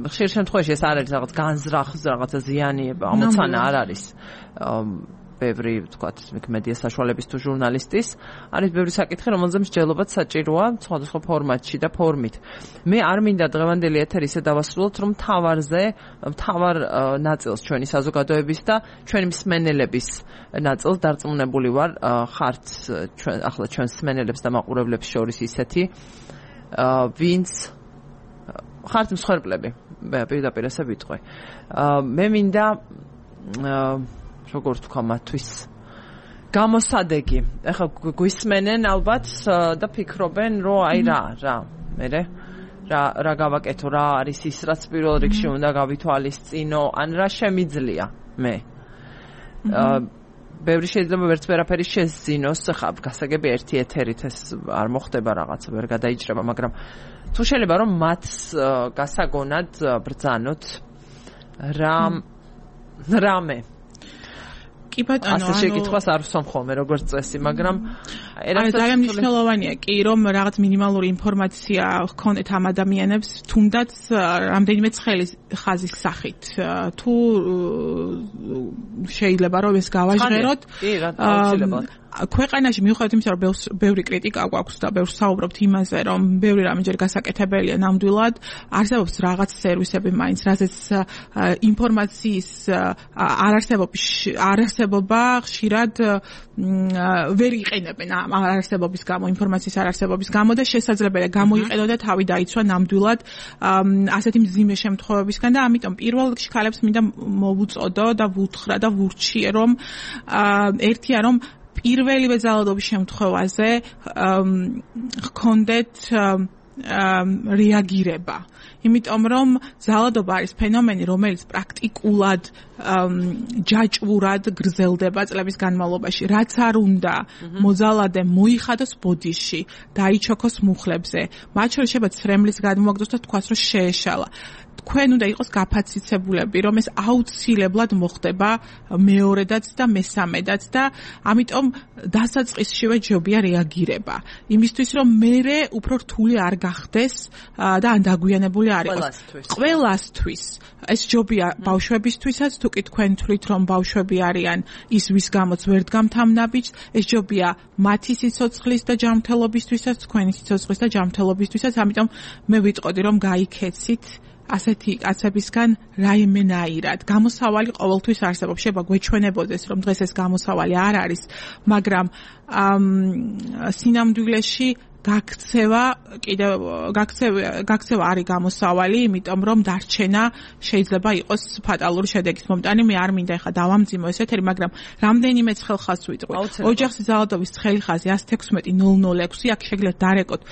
ხშირ შემთხვევაში ეს არ არის რაღაც განზრახ რაღაცა ზიანიება, ამოცანა არ არის. ბევრი, ვთქვათ, მედია საშუალების თუ ჟურნალისტის არის ბევრი საკითხი, რომელზეც მსჯელობაც საჭიროა სხვადასხვა ფორმატში და ფორმით. მე არ მინდა დღევანდელი ეთერი ისე დავასრულოთ, რომ მთავარზე, მთავარ ნაწილს ჩვენი საზოგადოების და ჩვენი მსმენელების ნაწილს დარწმუნებული ვარ, ხართ ჩვენ ახლა ჩვენს მსმენელებს და მაყურებლებს შორის ისეთი, ვინც ხართ მსხვერპლები, პირდაპირ ესე ვიტყვი. მე მინდა როგორ თქვა მათთვის გამოსადეგი. ეხლა გვისმენენ ალბათ და ფიქრობენ, რომ აი რა, რა, მე რა რა გავაკეთო, რა არის ის, რაც პირველ რიგში უნდა გავითვალისწინო, ან რა შემიძლია მე. ბევრი შეიძლება ვერც ვერაფერი შეძინოს, ხა გასაგები ერთი ეთერით ეს არ მოხდება რაღაცა, ვერ გადაიჭრება, მაგრამ თუ შეიძლება რომ მათ გასაგონად ბრძანოთ რა რამე კი ბატონო, ასე შეკითხვას არ ვსვამ ხოლმე როგორც წესი, მაგრამ აი ძალიან მნიშვნელოვანია კი რომ რაღაც მინიმალური ინფორმაცია ჰქონდეთ ამ ადამიანებს თუნდაც რამდენიმე ცხელი ხაზის სახით თუ შეიძლება რომ ეს გავაჟღეროთ კი რა აუცილებლად ქვეყანაში მიუხედავად იმისა რომ ბევრი კრიტიკა გვაქვს და ბევრს საუბრობთ იმაზე რომ ბევრი რამე ჯერ გასაკეთებელია ნამდვილად არსებობს რაღაც სერვისები მაინც რაზეც ინფორმაციის არარსებობის არარსებობა ხშირად ვერ იყენებენ არარსებობის გამო ინფორმაციის არარსებობის გამო და შესაძლებელია გამოიყენო და თავი დაიცვა ნამდვილად ასეთი მძიმე შემთხვევებისგან და ამიტომ პირველ რიგში ქალებს მინდა მოვუწოდო და ვუთხრა და ვურჩიე რომ ერთია რომ პირველივე ძალადობის შემთხვევაზე ჰქონდეთ რეაგირება. იმიტომ რომ ძალადობა არის ფენომენი, რომელიც პრაქტიკულად ჯაჭვურად გრძელდება წლების განმავლობაში. რაც არ უნდა მოძალადე მოიხადოს ბოდიში, დაიჩოქოს მუხლებზე. მათ შორის შეიძლება ცრემლის გადმოაგდოს და თქვას რომ შეეშალა. თქვენ უნდა იყოს გაფაციცებულები, რომ ეს აუცილებლად მოხდება მეორედაც და მესამედაც და ამიტომ დასაწყისშივე ჯობია რეაგირება. იმისთვის რომ მერე უფრო რთული არ გახდეს და ან დაგვიანებული არ იყოს. ყველასთვის. ეს ჯობია ბავშვებისთვისაც, თუ კი თქვენ თვლით რომ ბავშვები არიან ის ვის გამოც ვერ დგამთ ამ ნაბიჯს, ეს ჯობია მათი სიცოცხლის და ჯანმრთელობისთვისაც, თქვენი სიცოცხლის და ჯანმრთელობისთვისაც, ამიტომ მე ვიტყოდი რომ გაიქეცით ასეთი კაცებისგან რაიმენაირად. გამოსავალი ყოველთვის არსებობს. შეიძლება გვეჩვენებოდეს, რომ დღეს ეს გამოსავალი არ არის, მაგრამ სინამდვილეში გაქცევა კიდევ გაქცევა გაქცევა არის გამოსავალი, იმიტომ რომ დარჩენა შეიძლება იყოს ფატალური შედეგის მომტანი. მე არ მინდა ეხა დავამძიმო ეს ეთერი, მაგრამ რამდენიმე ცხელხაზს ვიტყვი. ოჯახის ძალადობის ცხელხაზი one six zero zero zero six აქ შეგიძლიათ დარეკოთ.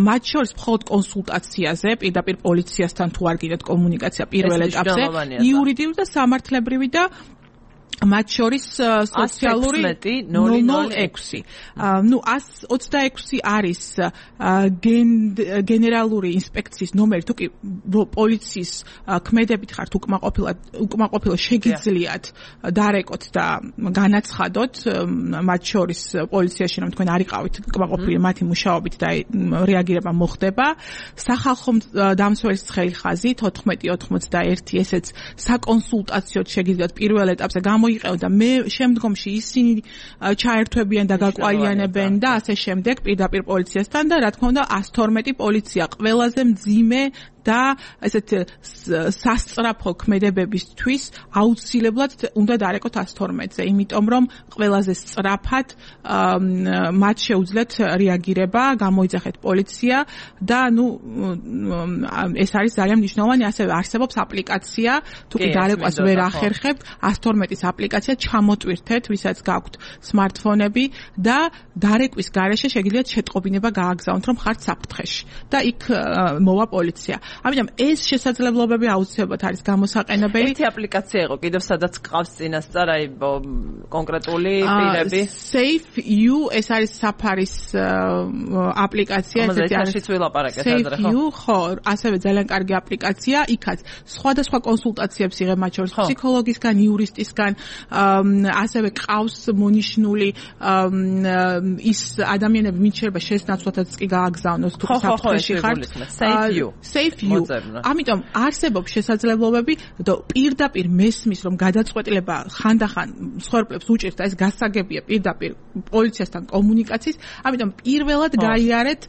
მათ შორის მხოლოდ კონსულტაციაზე, პირდაპირ პოლიციასთან თუ არ გინდათ კომუნიკაცია პირველ ეტაპზე, იურიდიული და სამართლებრივი და მათ შორის სოციალური null null six. ნუ one twenty-six არის გენერალური ინსპექციის ნომერი, თუ კი პოლიციის ქმედებით ხართ უკმაყოფილად უკმაყოფილო შეგიძლიათ დარეკოთ და განაცხადოთ მათ შორის პოლიციაში რომ თქვენ არიყავით უკმაყოფილი მათი მუშაობით და რეაგირება მოხდება. სახალხო დამცველის ცხელი ხაზი fourteen eighty-one ესეც საკონსულტაციოდ შეგიძლიათ პირველ ეტაპზე მოიყევ და მე შემდგომში ისინი ჩაერთვებიან და გაკვალიანებენ და ასე შემდეგ პირდაპირ პოლიციასთან და რა თქმა უნდა one twelve პოლიცია ყველაზე მძიმე და ესეთ სასწრაფო ქმედებებისთვის აუცილებლად უნდა დარეკოთ one twelve-ზე, იმიტომ რომ ყველაზე სწრაფად მათ შეუძლიათ რეაგირება, გამოიძახეთ პოლიცია და ნუ ეს არის ძალიან მნიშვნელოვანი. ასევე არსებობს აპლიკაცია, თუ კი დარეკვას ვერ ახერხებთ, one twelve-ის აპლიკაცია ჩამოტვირთეთ, ვისაც გაქვთ სმარტფონები და დარეკვის გარეშე შეგიძლიათ შეტყობინება გააგზავნოთ, რომ ხართ საფრთხეში და იქ მოვა პოლიცია. ამიტომ ეს შესაძლებლობები აუცილებლად არის გამოსაყენებელი. ერთი აპლიკაცია იყო კიდევ სადაც ყავს წინასწარ აი კონკრეტული პირები. SafeU ეს არის საფარის აპლიკაცია, ესეთი არის ვილაპარაკეთ ადრე ხო? SafeU ხო, ასევე ძალიან კარგი აპლიკაცია, იქაც სხვადასხვა კონსულტაციებს იღებ მათ შორის ფსიქოლოგისგან, იურისტისგან, ასევე ყავს მონიშნული ის ადამიანები, ვინც შეიძლება შესნაცვლადაც კი გააგზავნოს თუ საფრთხეში ხართ. SafeU. SafeU. ამიტომ არსებობს შესაძლებლობები და პირდაპირ მესმის რომ გადაწყვეტილება ხანდახან მსხვერპლებს უჭირთ და ეს გასაგებია პირდაპირ პოლიციასთან კომუნიკაციის, ამიტომ პირველად გაიარეთ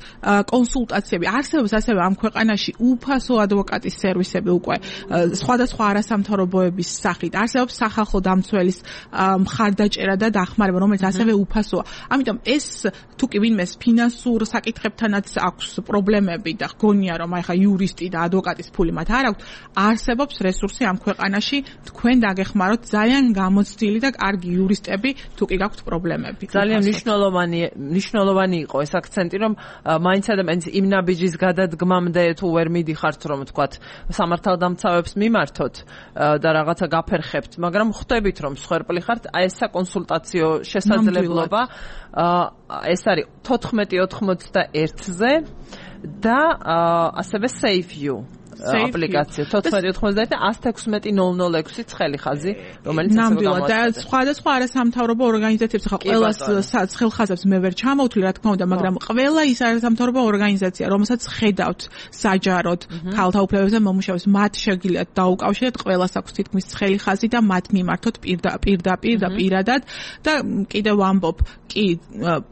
კონსულტაციები. არსებობს ასევე ამ ქვეყანაში უფასო ადვოკატის სერვისები უკვე სხვადასხვა არასამთავრობოების სახით. არსებობს სახალხო დამცველის მხარდაჭერა და დახმარება, რომელიც ასევე უფასოა. ამიტომ ეს თუ კი ვინმეს ფინანსურ საკითხებთანაც აქვს პრობლემები და გონია რომ აი ხა იურისტი და ადვოკატის ფული მათ არ აქვს, არსებობს რესურსი ამ ქვეყანაში, თქვენ დაგეხმაროთ ძალიან გამოცდილი და კარგი იურისტები, თუ კი გაქვთ პრობლემები. ძალიან მნიშვნელოვანი მნიშვნელოვანი იყო ეს აქცენტი, რომ მაინც ადამიანის იმ ნაბიჯის გადადგმამდე თუ ვერ მიდიხართ, რომ თქვათ სამართალდამცავებს მიმართოთ და რაღაცა გაფერხებთ, მაგრამ ხვდებით რომ მსხვერპლი ხართ, აი ეს საკონსულტაციო შესაძლებლობა ეს არის fourteen ninety-one-ზე და ასევე SafeU. აპლიკაცია თოთხმეტი ოცდაათი ათს თექვსმეტი ნოლ ნოლ ექვსი ცხელი ხაზი, რომელიც ასე ნამდვილად და სხვადასხვა არასამთავრობო ორგანიზაციებს ხა ყველას ხელხაზებს მე ვერ ჩამოვთვლი რა თქმა უნდა, მაგრამ ყველა ის არასამთავრობო ორგანიზაცია, რომელსაც ხედავთ საჯაროდ ქალთა უფლებებზე მომუშავეს, მათ შეგიძლიათ დაუკავშირეთ, ყველას აქვს თითქმის ცხელი ხაზი და მათ მიმართოთ პირდაპირ და პირადად და კიდევ ვამბობ, კი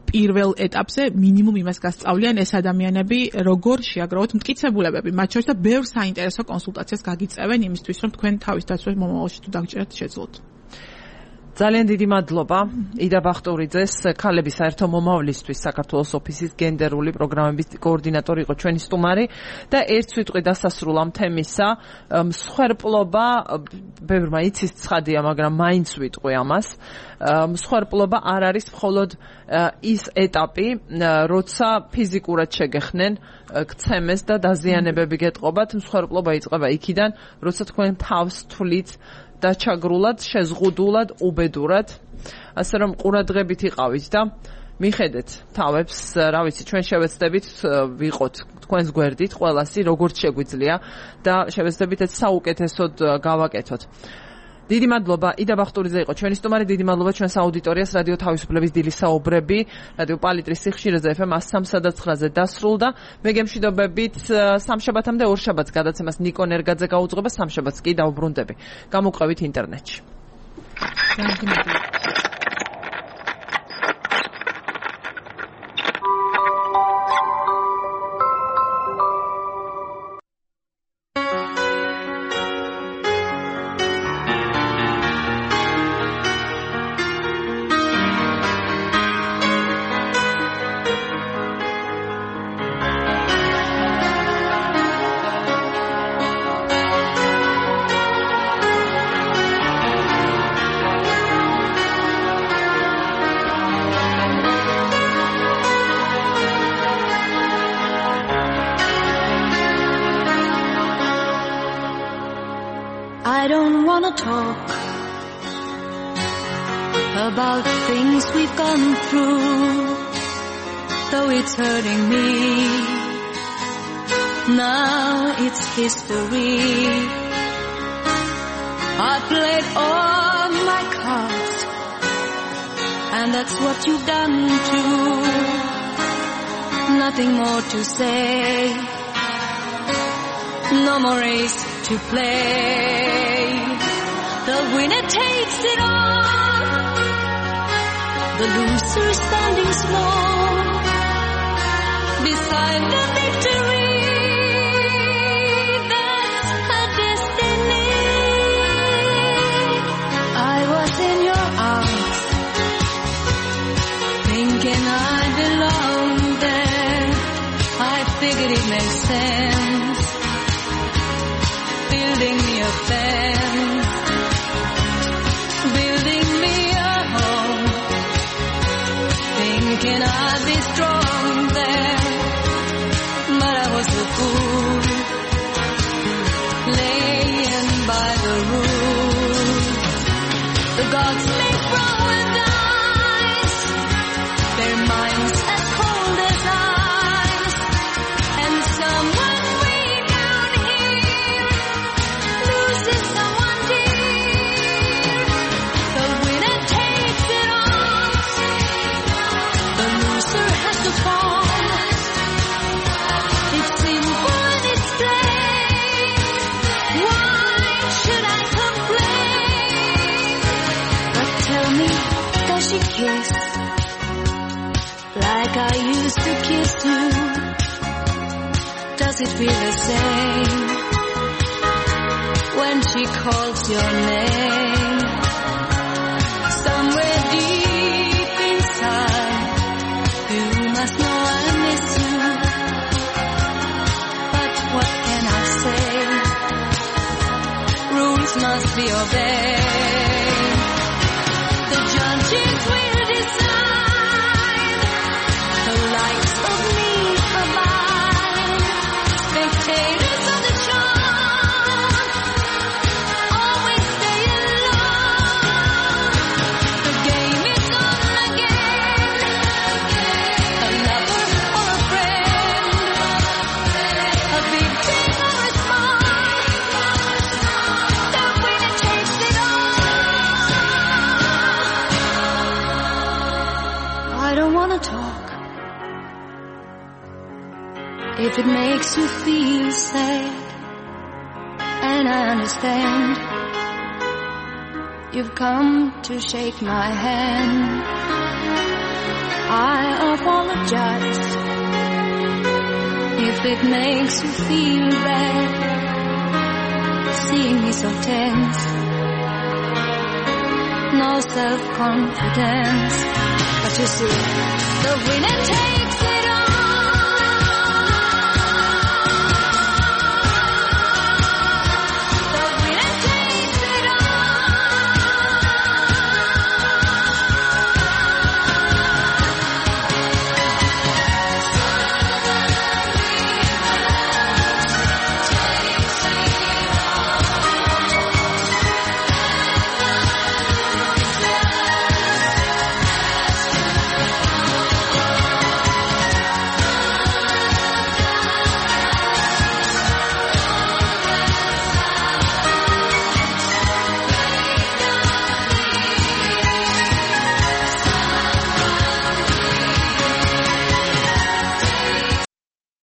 პირველ ეტაპზე მინიმუმ იმას გასწავლიან ეს ადამიანები, როგორ შეაგროვოთ მტკიცებულებები, მათ შორის და ბევრ საინტერესო კონსულტაციას გაგიწევენ იმისთვის, რომ თქვენ თავის დაცვას მომავალში თუ დაგჭერთ შეძლოთ. ძალიან დიდი მადლობა იდა ბახტურიძეს, ქალების საერთო მომავლისთვის საქართველოს ოფისის გენდერული პროგრამების კოორდინატორი იყო ჩვენი სტუმარი და ერთ სიტყვით დასასრულ ამ თემისა, მსხვერპლობა, ბევრმა იცის ცხადია, მაგრამ მაინც ვიტყვი ამას, მსხვერპლობა არ არის მხოლოდ ის ეტაპი, როცა ფიზიკურად შეგეხნენ ქცემეს და დაზიანებები გეტყობათ, მსხვერპლობა იწყება იქიდან, როცა თქვენ თავს თვლით დაჩაგრულად, შეზღუდულად, უბედურად, ასე რომ ყურადღებით იყავით და მიხედეთ თავებს, რა ვიცი, ჩვენ შევეცდებით ვიყოთ თქვენს გვერდით ყველასი, როგორც შეგვიძლია და შევეცდებით ეს საუკეთესოდ გავაკეთოთ. დიდი მადლობა იდა ბახტურიძე იყო ჩვენი სტუმარი, დიდი მადლობა ჩვენს აუდიტორიას, რადიო თავისუფლების დილის საუბრები, რადიო პალიტრის სიხშირეზე ეფ ემ სამსა და ცხრაზე დასრულდა. მე გემშვიდობებით სამშაბათამდე ორ შაბათს გადაცემას ნიკო ნერგაძე გაუძღვება, სამშაბათს კი დავუბრუნდები. გამოგყევით ინტერნეტში. I don't wanna talk about things we've gone through, though it's hurting me. Now it's history. I played all my cards, and that's what you've done too. Nothing more to say, no more race to play. The winner takes it all, the loser standing small beside the victory. That's her destiny. I was in your arms, thinking I belonged there. I figured it made sense, building me a fence, building me a home, thinking I'd be strong there, but I was a fool, laying by the rules. The gods make paradise, their minds as cold as ice, and someone way down here loses someone dear. The winner takes it all, the loser has to fall. It's simple and it's plain. Why should I complain? But tell me, does she kiss like I used to kiss you? Does it feel the same when she calls your name? Somewhere deep inside, you must know I miss you. But what can I say? Rules must be obeyed. The judges will decide, the likes of me abide. Spectators of the charm always stay alone. The game is on again, a lover or a friend, a big thing or a small. If it makes you feel sad, and I understand, you've come to shake my hand. I apologize if it makes you feel bad, seeing me so tense, no self-confidence. But you see, the winner takes